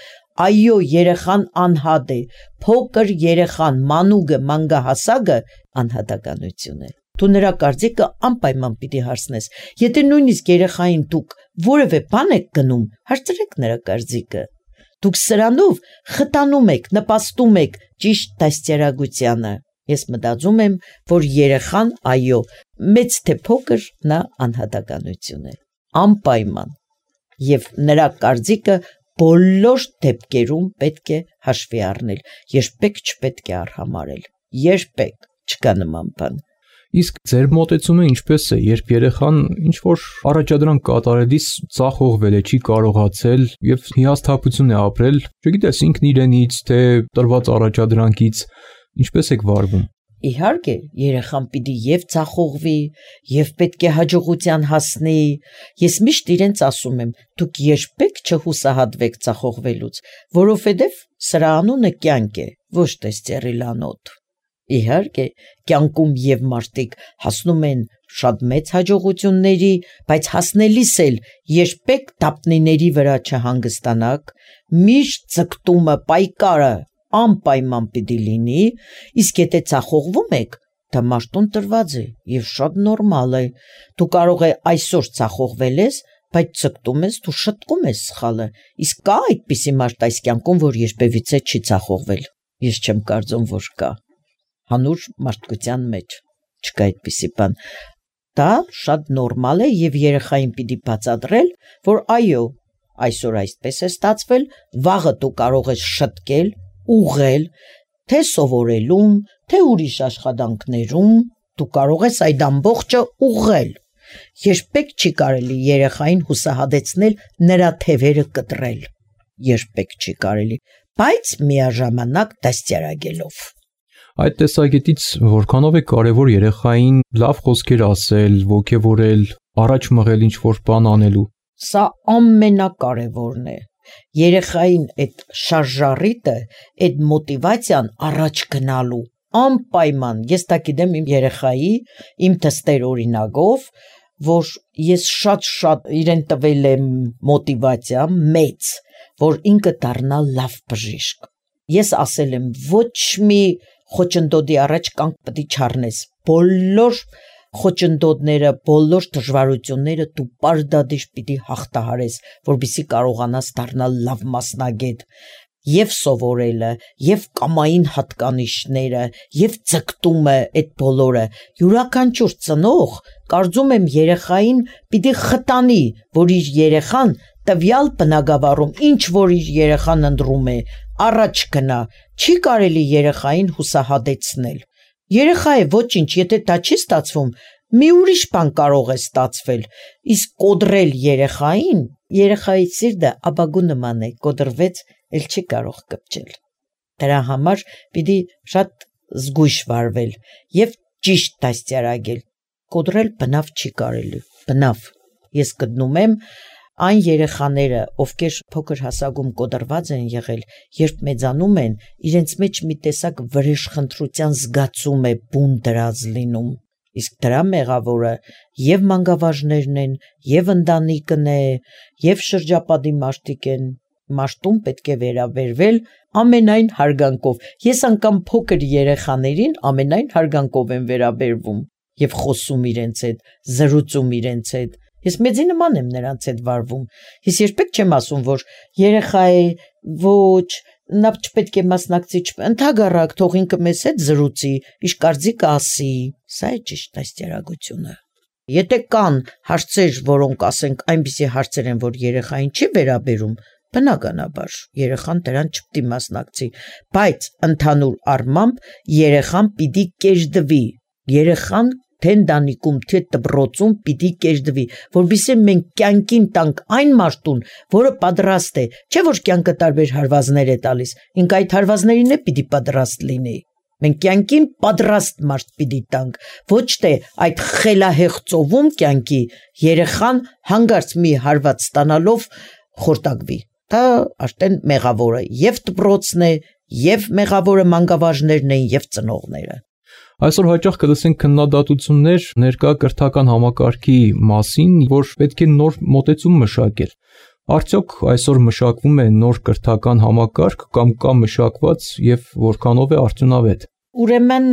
Այո, երեխան անհատ է, փոքր երեխան, մանուկը, մանկահասակը անհատականություն է։ Դու նրա կարծիքը անպայման պիտի հարցնես։ Եթե նույնիսկ երեխային դուք որևէ բան եք գնում, հարցրեք նրա կարծիքը։ Դուք սրանով խտանում եք, նպաստում եք ճիշտ դաստիարակությանը։ Ես մտածում եմ, որ երեխան, այո, մեծ թե փոքր, նա անհատականություն է, անպայման։ Եվ նրա կարծիքը բոլոր դեպքերում պետք է հաշվի առնել, երբեք չպետք է արհամարել, երբեք չկա նման բան։ Իսկ ձեր մոտեցումը ինչպես է, երբ երեխան ինչ-որ առաջադրանք կատարելիս ծախողվել է, չի կարողացել եւ հիասթափություն է ապրել, չգիտես ինքն իրենից, թե տրված առաջադրանքից, ինչպես եք վարվում։ Իհարկե, երեխան պիտի եւ ծախողվի, եւ պետք է հաջողության հասնի։ Ես միշտ իրենց ասում եմ, դուք երբեք չհուսահատվեք ծախողվելուց, որովհետեւ սրա անունը կյանք է, ոչ թե ստերիլանոտ։ Իհարկե, կյանքում եւ մարդիկ հասնում են շատ մեծ հաջողությունների, բայց հասնելիս էլ երբեք դապնիների վրա չհանգստանաք, միշտ ձգտումը, պայքարը անպայման պիտի լինի, իսկ եթե ծախողվում եք, դա մարդուն տրված է եւ շատ նորմալ է։ Դու կարող է այսօր ծախողվել ես, բայց ձգտում ես, դու շտկում ես սխալը։ Իսկ կա այդպիսի մարդ այս կյանքում, որ երբևիցե չի ծախողվել։ Ես չեմ կարծում, որ կա։ Հանուր մարդկության մեջ չկա այդպիսի բան։ Դա շատ նորմալ է եւ երեխային պիտի բացատրել, որ այո, այսօր այսպես է ստացվել, վաղը դու կարող ես շտկել, ուղղել, թե սովորելում, թե ուրիշ աշխատանքներում, դու կարող ես այդ ամբողջը ուղղել։ Երբեք չի կարելի երեխային հուսահատեցնել, նրա թևերը կտրել։ Երբեք չի կարելի, բայց միաժամանակ դաստիարակելով։ Այդ տեսակետից որքանով է կարևոր երեխային լավ խոսքեր ասել, ոգևորել, առաջ մղել ինչ-որ բան անելու։ Սա ամենակարևորն է։ Երեխային այդ շարժառիթը, այդ մոտիվացիան առաջ գնալու, անպայման ես դա գիտեմ իմ երեխայի, իմ թստեր օրինակով, որ ես շատ իրեն տվել եմ մոտիվացիա մեծ, որ ինքը դառնա լավ բժիշկ։ Ես ասել եմ ոչ մի խոչընդոտի առաջ կանգ պետք է չառնես։ Բոլոր խոչընդոտները, բոլոր դժվարությունները դու պարտադիր պիտի հաղթահարես, որպեսզի կարողանաս դառնալ լավ մասնագետ։ Եվ սովորելը, եւ կամային հատկանիշները, եւ ձգտումը այդ բոլորը յուրաքանչյուր ծնող կարծում եմ երեխային պիտի խտանի, որ իր երեխան տվյալ բնագավառում ինչ որ իր երեխան ընտրում է, առաջ գնա, չի կարելի երեխային հուսահատեցնել։ Երեխա է ոչինչ, եթե դա չի ստացվում, մի ուրիշ բան կարող է ստացվել, իսկ կոդրել երեխային, երեխայի սիրտը աբագու նման է, կոդրվեց էլ չի կարող կպչել։ Դրա համար պիտի շատ զգույշ վարվել եւ ճիշտ դաստիարակել։ Կոդրել բնավ չի կարելի, բնավ։ Ես գտնում եմ այն երեխաները, ովքեր փոքր հասակում կոդրված են եղել, երբ մեծանում են, իրենց մեջ մի տեսակ վրեժխնդրության զգացում է բուն դրած լինում։ Իսկ դրա մեղավորը եւ մանկավարժներն են, եւ ընտանիքն է, եւ շրջապատի մարդիկ են։ Մաշտում պետք է վերաբերվել ամենայն հարգանքով։ Ես անգամ փոքր երեխաներին ամենայն հարգանքով եմ վերաբերվում եւ խոսում իրենց հետ, զրուցում իրենց հետ։ Ես մեծի նման եմ նրանց հետ վարվում։ Ես երբեք չեմ ասում, որ երեխա է, ոչ, նա չպետք է մասնակցի, ընդհակառակ թող ինքը մեզ հետ զրուցի, իշ կարծիք ասի։ Սա է ճիշտ դաստիարակությունը։ Եթե կան հարցեր, որոնք ասենք այնպիսի հարցեր են, որ երեխային չի վերաբերում, բնականաբար երեխան դրան չպետք է մասնակցի, բայց ընդհանուր առմամբ երեխան պիտի կեժդվի, երեխան թե ընտանիքում, թե դպրոցում պիտի կեժդվի, որովհետեւ մենք կյանքին տանք այն մարդուն, որը պատրաստ է, չէ որ կյանքը տարբեր հարվածներ է տալիս, ինք այդ հարվածներին է պիտի պատրաստ լինի։ Մենք կյանքին պատրաստ մարդ պիտի տանք, ոչ թե այդ խելահեղձովում կյանքի երեխան հանգարց մի հարված ստանալով խորտակվի։ Դա արդեն մեղավորը եւ դպրոցն է, եւ մեղավորը մանկավարժներն են, եւ ծնողները։ Այսօր հաճախ կլսենք քննադատություններ ներկա կրթական համակարգի մասին, որ պետք է նոր մոտեցում մշակել։ Արդյոք այսօր մշակվում է նոր կրթական համակարգ կամ կա մշակված եւ որքանով է արդյունավետ։ Ուրեմն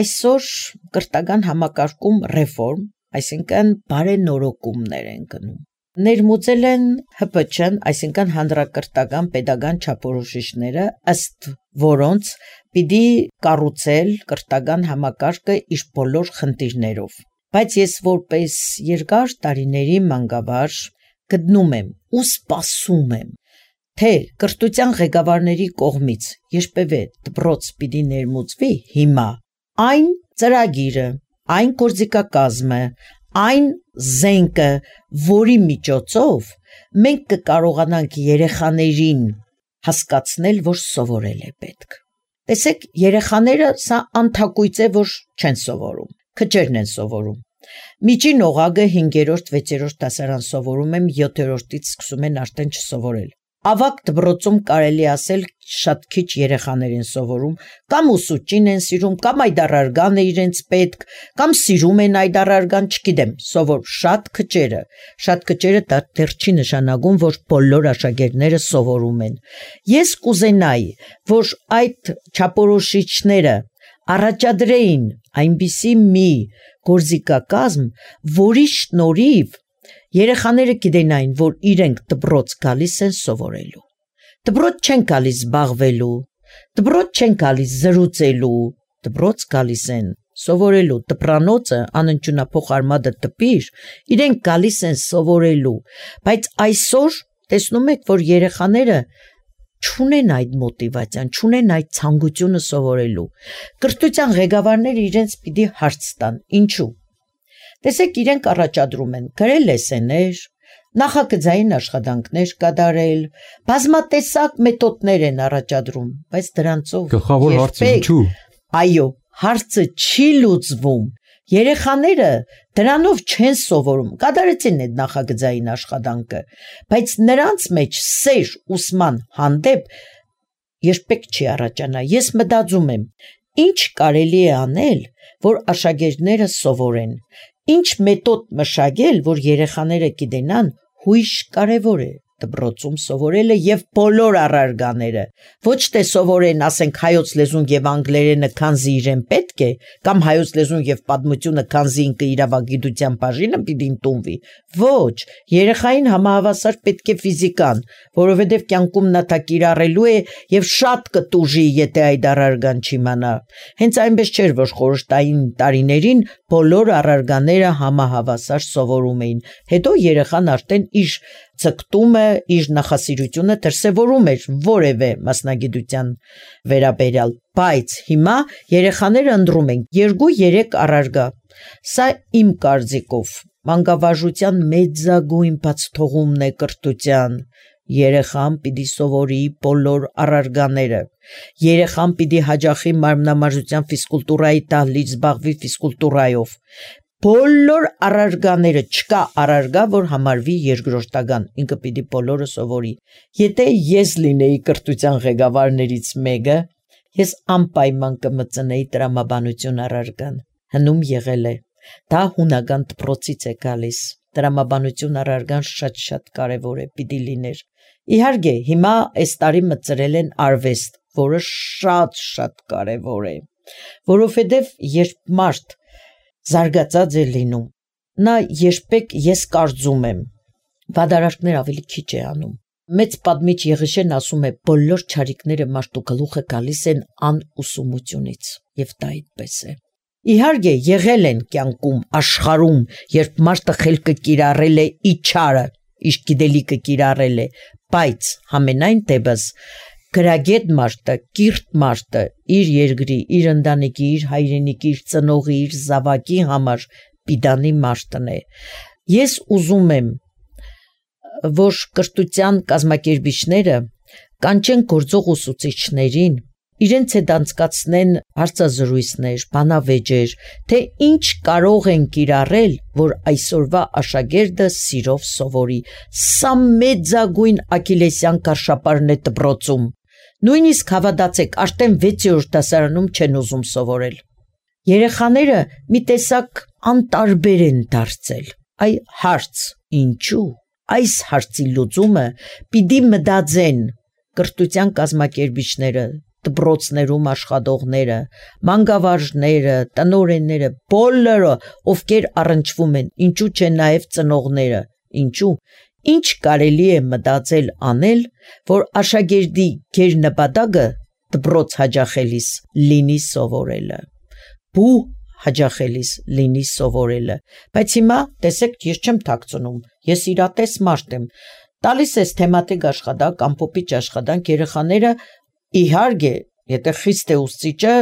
այսօր կրթական համակարգում ռեֆորմ, այսինքն բարենորոգումներ են գնում։ Ներմուծել են ՀՊՉ-ն, այսինքն հանրակրթական պետական չափորոշիչները, ըստ որոնց պիտի կառուցել կրթական համակարգը իր բոլոր խնդիրներով։ Բայց ես որպես երկար տարիների մանկավարժ գտնում եմ ու սպասում եմ, թե կրթության ղեկավարների կողմից երբևէ դպրոց պիտի ներմուծվի հիմա այն ծրագիրը, այն գործիքակազմը, այն զենքը, որի միջոցով մենք կկարողանանք երեխաներին հասկացնել, որ սովորել է պետք։ Տեսեք, երեխաները սա անթակույց է, որ չեն սովորում, քչերն են սովորում։ Միջին օղակը 5-րդ, 6-րդ դասարան սովորում եմ, 7-րդից սկսում են արդեն չսովորել։ Ավագ դպրոցում կարելի ասել շատ քիչ երեխաներ են սովորում, կամ ուսուցչին են սիրում, կամ այդ առարգան է իրենց պետք, կամ սիրում են այդ առարգան, չգիտեմ, սովոր շատ քչերը դա դեռ չի նշանակում, որ բոլոր աշակերտները սովորում են։ Ես կուզենայի, որ այդ չափորոշիչները առաջադրեին այնպիսի մի գործիքակազմ, որի շնորհիվ երեխաները գիտենային, որ իրենք դպրոց գալիս են սովորելու։ Դպրոց չեն գալիս զբաղվելու, դպրոց չեն գալիս զրուցելու, դպրոց գալիս են սովորելու։ Դպրանոցը անընդունափոխ արմատը տպիր, իրենք գալիս են սովորելու։ Բայց այսօր տեսնում եք, որ երեխաները չունեն այդ մոտիվացիան, չունեն այդ ցանկությունը սովորելու։ Կրթության ղեկավարները իրենց պիտի հարց տան, ինչու։ Տեսեք, իրենք առաջադրում են գրել լեսեներ, նախագծային աշխատանքներ կատարել, բազմատեսակ մեթոդներ են առաջադրում, բայց դրանցով գլխավոր հարցը ինչու։ Այո, հարցը չի լուծվում։ Երեխաները դրանով չեն սովորում, կատարեցին այդ նախագծային աշխատանքը, բայց նրանց մեջ սեր ուսման հանդեպ երբեք չի առաջանա։ Ես մտածում եմ, Ինչ կարելի է անել, որ աշակերտները սովորեն, ինչ մեթոդ մշակել, որ երեխաները գիտենան, հույժ կարևոր է դպրոցում սովորելը եւ բոլոր առարգաները, ոչ թե սովորեն, ասենք, հայոց լեզուն եւ անգլերենը, քանզի իրեն պետք է, կամ հայոց լեզուն եւ պատմությունը, քանզի ինքը իրավագիտության բաժինը պիտի ընդունվի։ Ոչ, երեխային համահավասար պետք է ֆիզիկան, որովհետեւ կյանքում նա դա կիրառելու է եւ շատ կտուժի, եթե այդ առարգան չիմանա։ Հենց այնպես չէր, որ խորհրդային տարիներին բոլոր առարգաները համահավասար սովորում էին։ Հետո երեխան արդեն իր ցկտումը, իր նախասիրությունը դրսևորում էր որևէ մասնագիտության վերաբերյալ, բայց հիմա երեխաները ընտրում են 2-3 առարգա։ Սա իմ կարծիքով մանկավարժության մեծագույն բացթողումն է կրթության։ Երեխան պիտի սովորի բոլոր առարգաները։ Երեխան պիտի հաճախի մարմնամարզության ֆիզկուլտուրայի դահլիճ, զբաղվի ֆիզկուլտուրայով։ Բոլոր առարգաները, չկա առարգա, որ համարվի երկրորդական, ինքը պիտի բոլորը սովորի։ Եթե ես լինեի կրթության ղեկավարներից մեկը, ես անպայման կմծնեի տրամաբանություն առարգան։ Հնում եղել է։ Դա հունական դպրոցից է գալիս։ Տրամաբանություն առարգան շատ կարևոր է, պիտի լիներ։ Իհարկե, հիմա այս տարի մտցրել են արվեստ, որը շատ կարևոր է, որովհետև երբ մարդ զարգացած է լինում, նա երբեք, ես կարծում եմ, վադարաշքներ ավելի քիչ է անում։ Մեծ պատմիչ Եղիշեն ասում է, բոլոր չարիքները մարդու գլուխը գալիս են անուսումությունից, եւ դա այդպես է։ Իհարկե, եղել են կյանքում, աշխարհում, երբ մարդը խելքը կիրառել է իչարը, իր գիտելիքը կիրառել է, բայց համենայն դեպս գրագետ մարդը, կիրթ մարդը իր երկրի, իր ընտանիքի, իր հայրենիքի, իր ծնողի, իր զավակի համար պիտանի մարդն է։ Ես ուզում եմ, որ կրթության կազմակերպիչները կանչեն գործող ուսուցիչներին, իրենց հետ անցկացնեն հարցազրույցներ, բանավեճեր, թե ինչ կարող են կիրառել, որ այսօրվա աշակերտը սիրով սովորի։ Սա մեծագույն աքիլեսյան կաշապարն է դպրոցում։ Նույնիսկ հավատացեք, արդեն 6-րդ դասարանում չեն ուզում սովորել։ Երեխաները մի տեսակ անտարբեր են դարձել։ Այ հարց, ինչու։ Այս հարցի լուծումը պիտի մտածեն կրթության կազմակերպիչները, դպրոցներում աշխատողները, մանկավարժները, տնօրենները, բոլորը, ովքեր առնչվում են, ինչու չէ նաև ծնողները, ինչու, ինչ կարելի է մտածել անել, որ աշակերտի գերնպատակը դպրոց հաճախելիս լինի սովորելը, բու հաճախելիս լինի սովորելը, բայց հիմա, տեսեք, ես չեմ թաքցնում, ես իրատես մարդ եմ, տալիս ես թեմատիկ աշխատանք, ամփոփիչ աշխատանք, երեխաները իհարկե, եթե խիստ է ուսուցիչը,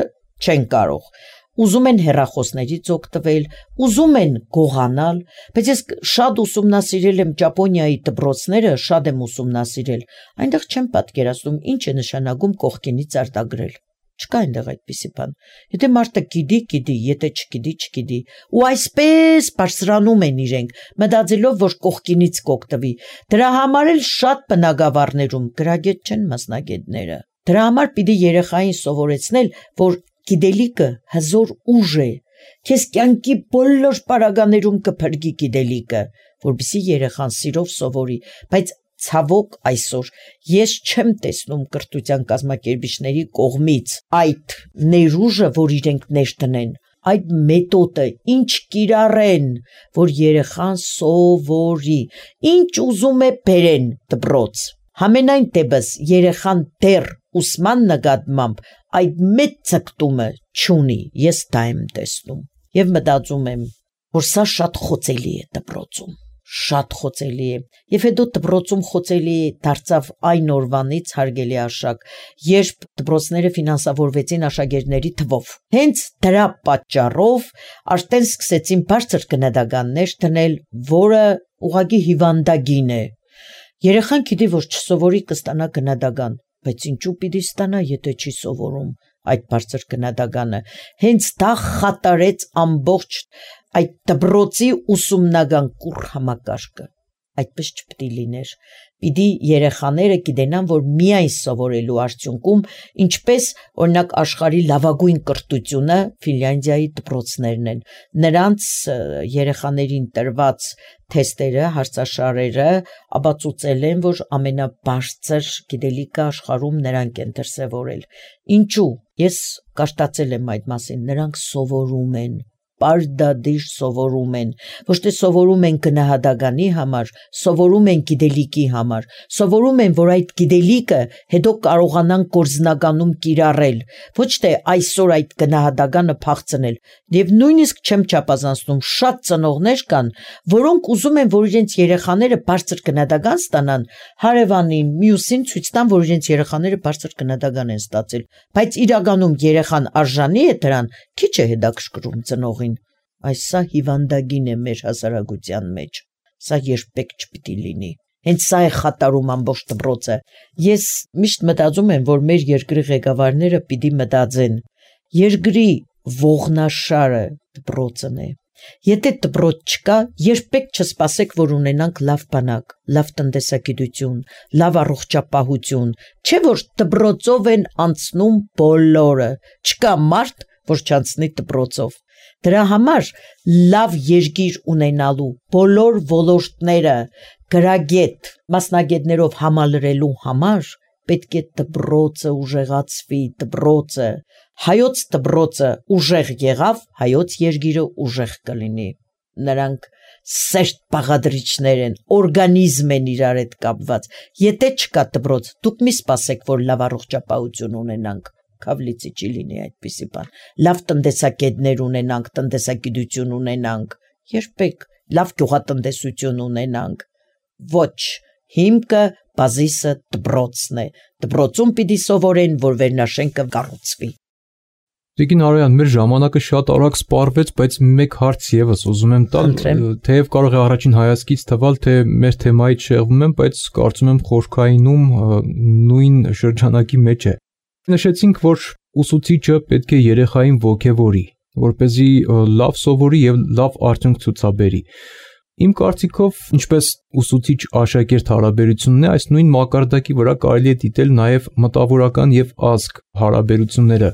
չեն կարող, ուզում են հեռախոսներից օգտվել, ուզում են գողանալ, բայց ես շատ ուսումնասիրել եմ Ճապոնիայի դպրոցները, շատ եմ ուսումնասիրել, այնտեղ չեմ պատկերացնում ինչ է նշանակում կողքինից արտագրել, չկա այնտեղ այդպիսի բան, եթե մարդը գիտի, եթե չգիտի, ու այսպես բարձրանում են իրենք, մտածելով, որ կողքինից կօգտվի, դրա համար էլ շատ բնակավարներում գրագետ չեն մասնագետները, դրա համար պիտի երեխային սովորեցնել, որ գիտելիքը հզոր ուժ է, քեզ կյանքի բոլոր պարագաներում կփրկի գիտելիքը, որպեսզի երեխան սիրով սովորի, բայց ցավոք այսօր ես չեմ տեսնում կրթության կազմակերպիչների կողմից այդ ներուժը, որ իրենք ներդնեն, այդ մեթոդը, ինչ կիրառեն, որ երեխան սովորի, ինչ ուզում է բերեն դպրոց։ Համենայն դեպս երեխան դեռ ուսման նկատմամբ այդ մեծ ցկտումը չունի, ես դա եմ տեսնում եւ մտածում եմ, որ սա շատ խոցելի է դպրոցում, շատ խոցելի է եւ հետո դպրոցում խոցելի դարձավ այն օրվանից, հարգելի աշակ, երբ դպրոցները ֆինանսավորվեցին աշակերտների թվով, հենց դրա պատճառով արդեն սկսեցին բարձր գնահատականներ դնել, որը ուղղակի հիվանդագին է։ Երեխան գիտի, որ չսովորի կստանա գնահատական, բայց ինչու պիտի ստանա, եթե չի սովորում այդ բարձր գնահատականը։ Հենց դա խատարեց ամբողջ այդ դպրոցի ուսումնական կուռ համակարգը։ Այդպես չպետք է լիներ։ Պիտի երեխաները գիտենան, որ միայն սովորելու արդյունքում, ինչպես օրինակ աշխարհի լավագույն կրթությունը Ֆինլանդիայի դպրոցներն են, նրանց երեխաներին տրված թեստերը, հարցաշարերը ապացուցել են, որ ամենաբարձր գիտելիքը աշխարհում նրանք են դրսևորել։ Ինչու՞։ Ես կաշտացել եմ այդ մասին, նրանք սովորում են, պարտադիր սովորում են, ոչ թե սովորում են գնահատականի համար, սովորում են գիտելիքի համար, սովորում են, որ այդ գիտելիքը հետո կարողանան գործնականում կիրառել, ոչ թե այսօր այդ գնահատականը փախցնել։ Եվ նույնիսկ չեմ չափազանցնում, շատ ծնողներ կան, որոնք ուզում են, որ իրենց երեխաները բարձր գնահատական ստանան, հարևանին, մյուսին ցույց տան, որ իրենց երեխաները բարձր գնահատական են ստացել, բայց իրականում երեխան արժանի է դրան, քիչ է հետաքրքրում ծնողին։ Այս սա հիվանդագին է մեր հասարակության մեջ, սա երբեք չպիտի լինի։ Հենց սա է խաթարում ամբողջ դպրոցը։ Ես միշտ մտածում եմ, որ մեր երկրի ղեկավարները պիտի մտածեն, երկրի ողնաշարը դպրոցն է։ Եթե դպրոց չկա, երբեք չսպասեք, որ ունենանք լավ բանակ, լավ տնտեսագիտություն, լավ առողջապահություն, չէ որ դպրոցով են անցնում բոլորը, չկա մարդ, որ չանցնի դպրոցով։ Դրա համար լավ երկիր ունենալու բոլոր ոլորտները գրագետ, մասնագետներով համալրելու համար պետք է դպրոցը ուժեղացվի, դպրոցը, հայոց դպրոցը ուժեղ եղավ, հայոց երկիրը ուժեղ կլինի։ Նրանք սերտ բաղադրիչներ են, օրգանիզմ են իրար հետ կապված։ Եթե չկա դպրոց, դուք մի սպասեք, որ լավ առողջապահություն ունենանք, քավլիցի չի լինի այդպիսի բան։ Լավ տնտեսագետներ ունենանք, տնտեսագիտություն ունենանք, երբեք լավ գյուղատնտեսություն ունենանք։ Ոչ, հիմքը բազիսը դպրոցն է։ Դպրոցում պիտի սովորեն, որ վերնաշենքը կառուցվի։ Տիկին Արոյան, մեր ժամանակը շատ արագ սպառվեց, բայց մեկ հարց եւս ուզում եմ տալ, թեև կարող է առաջին հայացքից թվալ, թե մեր թեմայից շեղվում եմ, բայց կարծում եմ խորքայինում նույն շրջանակի մեջ է։ Նշեցինք, որ ուսուցիչը պետք է երեխային ոգևորի, որպեսզի լավ սովորի եւ լավ արդյունք ցուցաբերի։ Իմ կարծիքով, ինչպես ուսուցիչ-աշակերտ հարաբերությունն է, այս նույն մակարդակի վրա կարելի է դիտել նաեւ մտավորական եւ ազգ հարաբերությունները։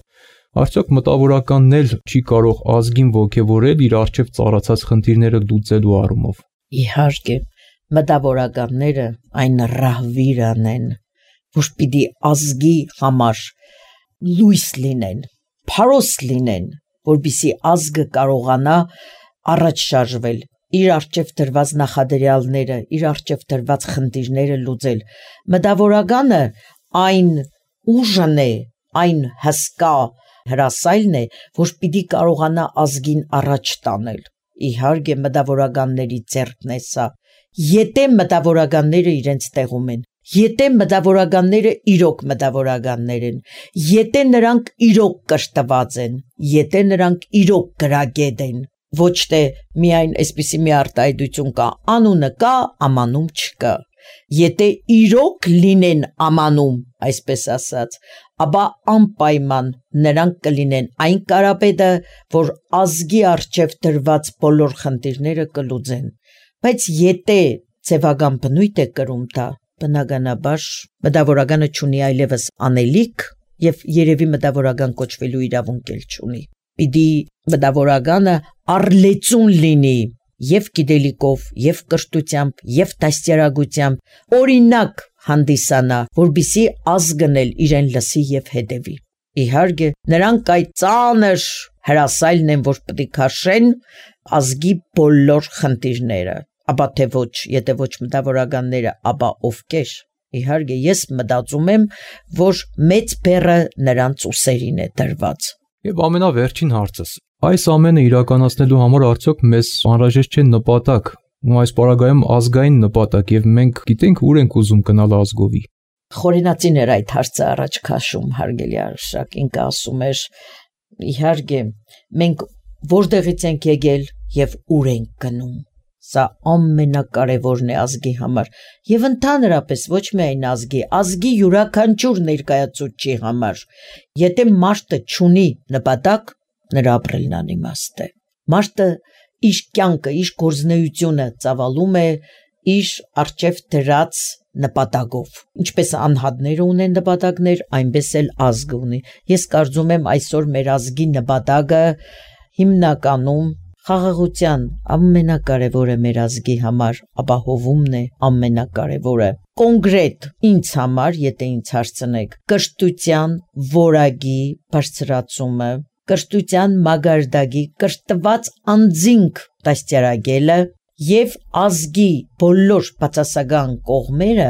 Արդյոք մտավորականն էլ չի կարող ազգին ոգևորել իր առջև ծառացած խնդիրները լուծելու առումով։ Իհարկե, մտավորականները այն ռահվիրանն են, որ պիտի ազգի համար լույս լինեն, փարոս լինեն, որպեսզի ազգը կարողանա առաջ շարժվել, իր առջև դրված նախադրյալները, իր առջև դրված խնդիրները լուծել։ Մտավորականը այն ուժն է, այն հսկա հրասայլն է, որ պիտի կարողանա ազգին առաջ տանել։ Իհարկե մտավորականների ձեռքն է սա։ Եթե մտավորականները իրենց տեղում են, եթե մտավորականները իրոք մտավորականներ են, եթե նրանք իրոք կրթված են, եթե նրանք իրոք գրագետ են, ոչ թե միայն այսպիսի մի արտահայտություն կա, անունը կա, ամանում չկա։ Եթե իրոք լինեն ամանում, այսպես ասած, ապա անպայման նրանք կլինեն այն կարապետը, որ ազգի առջև դրված բոլոր խնդիրները կլուծեն։ Բայց եթե ձևական բնույթ է կրում դա, բնականաբար մտավորականը չունի այլևս անելիք եւ երևի մտավորական կոչվելու իրավունք էլ չունի։ Պիտի մտավորականը առլեցուն լինի եւ գիտելիքով, եւ կրթությամբ, եւ դաստիարակությամբ, օրինակ հանդիսանա, որբիսի ազգն էլ իրեն լսի եւ հետևի։ Իհարկե, նրանք այդ ծանր հրասայլն են, որ պետք է քաշեն ազգի բոլոր խնդիրները, ապա թե ոչ, եթե ոչ մտավորականները, ապա ովքեր։ Իհարկե, ես մտածում եմ, որ մեծ բեռը նրանց ուսերին է դրված։ Եվ ամենավերջին հարցս. այս ամենը իրականացնելու համար արդյոք մեզ անհրաժեշտ չէ նպատակ, ու այս պարագայում ազգային նպատակ, եւ մենք գիտենք ուր ենք ուզում գնալ ազգովի։ Խորենացին էր այդ հարցը առաջ քաշում, հարգելի Արշակ, ինքը ասում էր, իհարկե, մենք որտեղից ենք եկել եւ ուր ենք գնում։ Սա ամենակարևորն է ազգի համար եւ ընդհանրապես ոչ միայն ազգի յուրաքանչյուր ներկայացուցչի համար։ Եթե մարդը չունի նպատակ, նրա ապրելն անիմաստ է։ Մարդը իր կյանքը, իր գործունեությունը ծավալում է իր առջև դրած նպատակով։ Ինչպես անհատները ունեն նպատակներ, այնպես էլ ազգը ունի։ Ես կարծում եմ այսօր մեր ազգի նպատակը հիմնականում խաղաղության ամենակարևորը մեր ազգի համար ապահովումն է ամենակարևորը։ Կոնկրետ ինձ համար, եթե ինձ հարցնեք, կրթության որակի բարձրացումը, կրթության մագարտակի կրթված անձինք դաստիարակելը եւ ազգի բոլոր բացասական կողմերը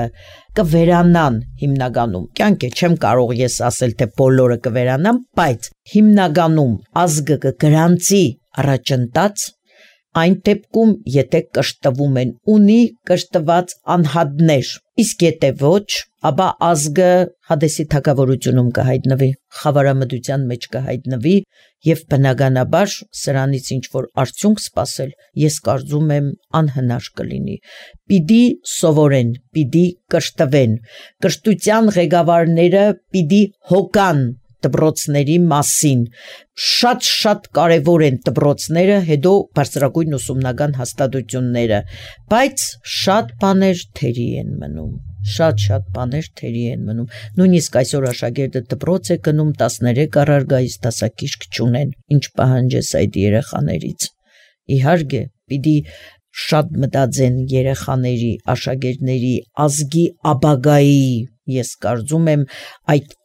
կվերանան հիմնականում։ Կյանք է, չեմ կարող ես ասել, թե բոլորը կվերանան, բայց հիմնականում ազգը կգրանցի առաջընթաց այն դեպքում, եթե կրթվում են, ունի կրթված անհատներ, իսկ եթե ոչ, ապա ազգը Հադեսի թագավորությունում կհայտնվի, խավարամտության մեջ կհայտնվի եւ բնականաբար սրանից ինչ որ արդյունք սպասել, ես կարծում եմ անհնար կլինի։ Պիտի սովորեն, պիտի կրթվեն, կրթության ղեկավարները պիտի հոգան դպրոցների մասին, շատ կարևոր են դպրոցները, հետո բարձրագույն ուսումնական հաստատությունները, բայց շատ բաներ թերի են մնում, շատ բաներ թերի են մնում, նույնիսկ այսօր աշակերտը դպրոց է գնում 13 առարգայից դասակիրք չունեն, ինչ պահանջես այդ երեխաներից։ Իհարկե, պիտի շատ մտածեն երեխաների, աշակերտների, ազգի ապագայի, ես կարծում եմ այդ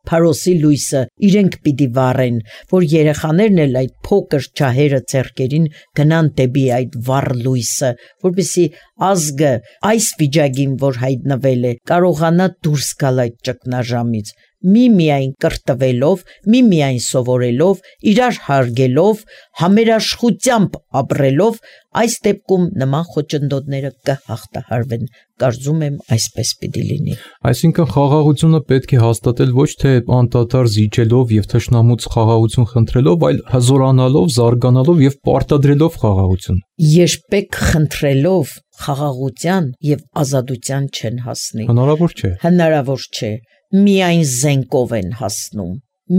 Փարոսի լույսը իրենք պիտի վառեն, որ երեխաներն էլ այդ փոքր ջահերը ձեռքերին գնան դեպի այդ վառ լույսը, որպեսզի ազգը այս վիճակին, որ հայտնվել է, կարողանա դուրս գալ այդ ճգնաժամից, միայն կրթվելով, միայն սովորելով, իրար հարգելով, համերաշխությամբ ապրելով, այս դեպքում նման խոչընդոտները կհաղթահարվեն, կարծում եմ այսպես պիտի լինի։ Այսինքն խաղաղությունը պետք է հաստատել ոչ թե անդադար զիջելով եւ թշնամուց խաղաղություն խնդրելով, այլ հզորանալով, զարգանալով եւ պարտադրելով խաղաղություն։ Երբեք խնդրելով խաղաղության եւ ազատության չեն հասնի։ Հնարավոր չէ։ Միայն զենքով են հասնում,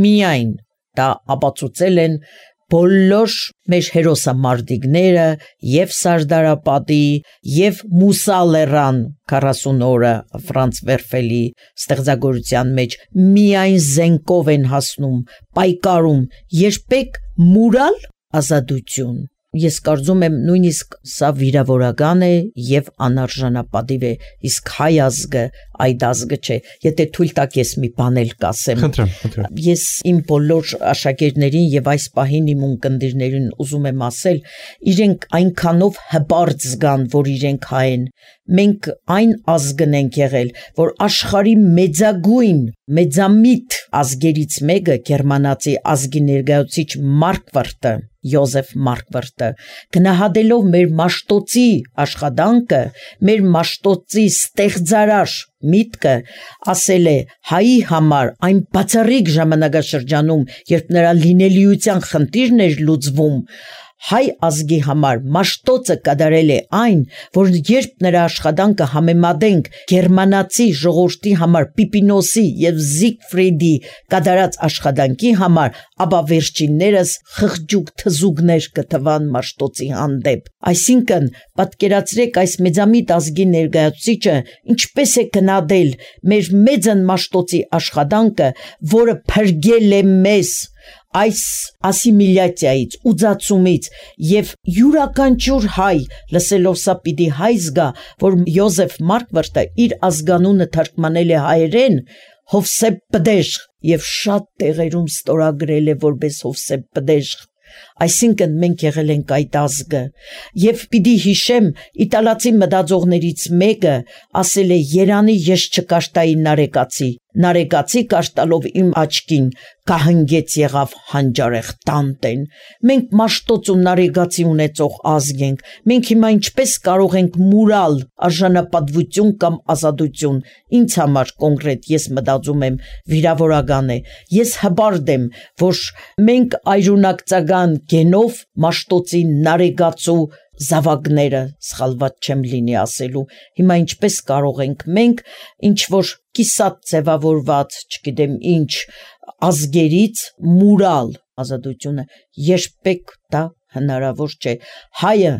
միայն դա ապացուցել են բոլոր մեր հերոսամարտիկները եւ Սարդարապատի եւ Մուսա Լեռան 40 օրը Ֆրանց Վերֆելի ստեղծագործության մեջ միայն զենքով են հասնում, պայքարում, երբեք մուրալ ազատություն։ Ես կարծում եմ նույնիսկ սա վիրավորական է եւ անարժանապատիվ է, իսկ հայ ազգը այդ ազգը չէ։ Եթե թույլ տաք ես մի բան էլ կասեմ։ Խնդրեմ։ Ես իմ բոլոր աշակերտներին եւ այս պահին իմ ունկնդիրներին ուզում եմ ասել, իրենք այնքանով հպարտ զգան, որ իրենք հայ են։ Մենք այն ազգն ենք եղել, որ աշխարհի մեծագույն, մեծամիտ ազգերից մեկը գերմանացի ազգի ներկայացուցիչ Մարկվարտը Յոզեֆ Մարկվարտը գնահատելով մեր Մաշտոցի աշխատանքը, մեր Մաշտոցի ստեղծարար միտքը, ասել է հայի համար այն բացառիկ ժամանակաշրջանում, երբ նրա լինելիության խնդիրն էր լուծվում, հայ ազգի համար Մաշտոցը կատարել է այն, որ երբ նրա աշխատանքը համեմատենք գերմանացի ժողովրդի համար Պիպինոսի եւ Զիգֆրիդի կատարած աշխատանքի համար, ապա վերջիններս խղճուկ թզուկներ կթվան Մաշտոցի հանդեպ։ Այսինքն, պատկերացրեք այս մեծամիտ ազգի ներկայացուցիչը ինչպես է գնահատել մեր մեծն Մաշտոցի աշխատանքը, որը փրկել է մեզ այս ասիմիլյացիայից, ուծացումից եւ յուրաքանչյուր հայ լսելով սա պիտի հայ զգա, որ Յոզեֆ Մարկվարտը իր ազգանունը թարգմանել է հայերեն Հովսեփ Պդեժ եւ շատ տեղերում ստորագրել է որպես Հովսեփ Պդեժ։ Այսինքն մենք եղել ենք այդ ազգը եւ պիտի հիշեմ իտալացի մտածողներից մեկը ասել է Երանի ես չկաշտայի նարեկացի կաշտալով իմ աչքին կահնգեց եղավ հանջարեղ տանտեն։ Մենք Մաշտոց ու նարեկացի ունեցող ազգ ենք, մենք հիմա ինչպես կարող ենք մուրալ արժանապատվություն կամ ազատություն։ Ինձ համար կոնկրետ ես մտածում եմ վիրավորական է, ես հպարտ եմ, որ մենք այրունակցական գենով Մաշտոցի նարեկացու զավակները, սխալված չեմ լինի ասելու, հիմա ինչպես կարող ենք մենք ինչ որ կիսատ ձևավորված, չգիտեմ ինչ, ազգերից մուրալ ազատությունը, երբեք դա հնարավոր չէ։ Հայը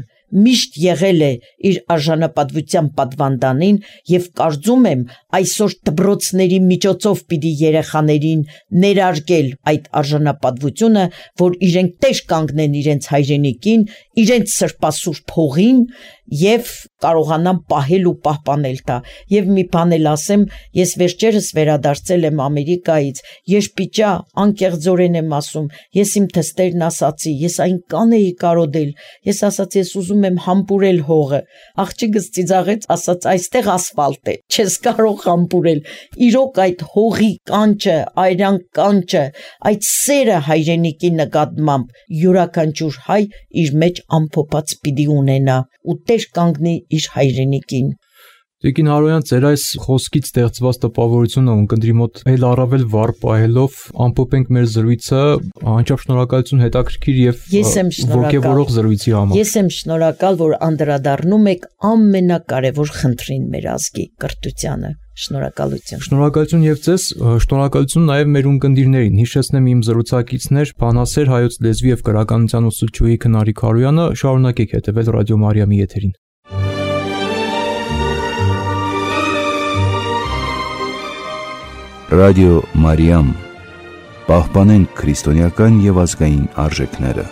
միշտ եղել է իր արժանապատվության պատվանդանին եւ կարծում եմ այսօր դպրոցների միջոցով պիտի երեխաներին ներարկել այդ արժանապատվությունը, որ իրենք տեղ կանգնեն իրենց հայրենիքին, իրենց սրբասուրբ հողին եւ կարողանան պահել ու պահպանել դա։ Եվ մի բան էլ ասեմ, ես վերջերս վերադարձել եմ Ամերիկայից, երբիջա անկեղծորեն եմ ասում, ես իմ թստերն ասացի, ես այնքան էի կարոդել, ես ասացի, ես ուզում եմ համբուրել հողը, աղջիկս ծիծաղեց, ասաց այստեղ ասֆալտ է, չես կարող համբուրել։ Իրոք այդ հողի կանչը, այրան կանչը, այդ սերը հայրենիքի նկատմամբ յուրաքանչյուր հայ իր մեջ ամփոփած պիտի ունենա ու տեր կանգնի իր հայրենիքին։ Տիկին Հարոյան, ձեր այս խոսքից ստեղծված տպավորությունը ունկնդրի մոտ այլ առավել վառ պահելով ամփոփենք մեր զրույցը, անչափ շնորհակալություն հետաքրքիր եւ ոգևորող զրույցի համար։ Ես եմ շնորհակալ, որ անդրադառնում եք ամենակարևոր խնդրին մեր ազգի կրթությանը։ Շնորհակալություն։ Շնորհակալություն եւ ձեզ, շնորհակալություն նաեւ մեր ունկնդիրներին։ Հիշեցնեմ իմ զրուցակիցներ բանասեր հայոց լեզվի եւ գրականության ուսուցչուհի Քնարիկ Հարոյանը, շարունակեք հետեւել Ռադիո Մարիամի եթերին։ Ռադիո Մարիամ, պահպանենք քրիստոնեական եւ ազգային արժեքները։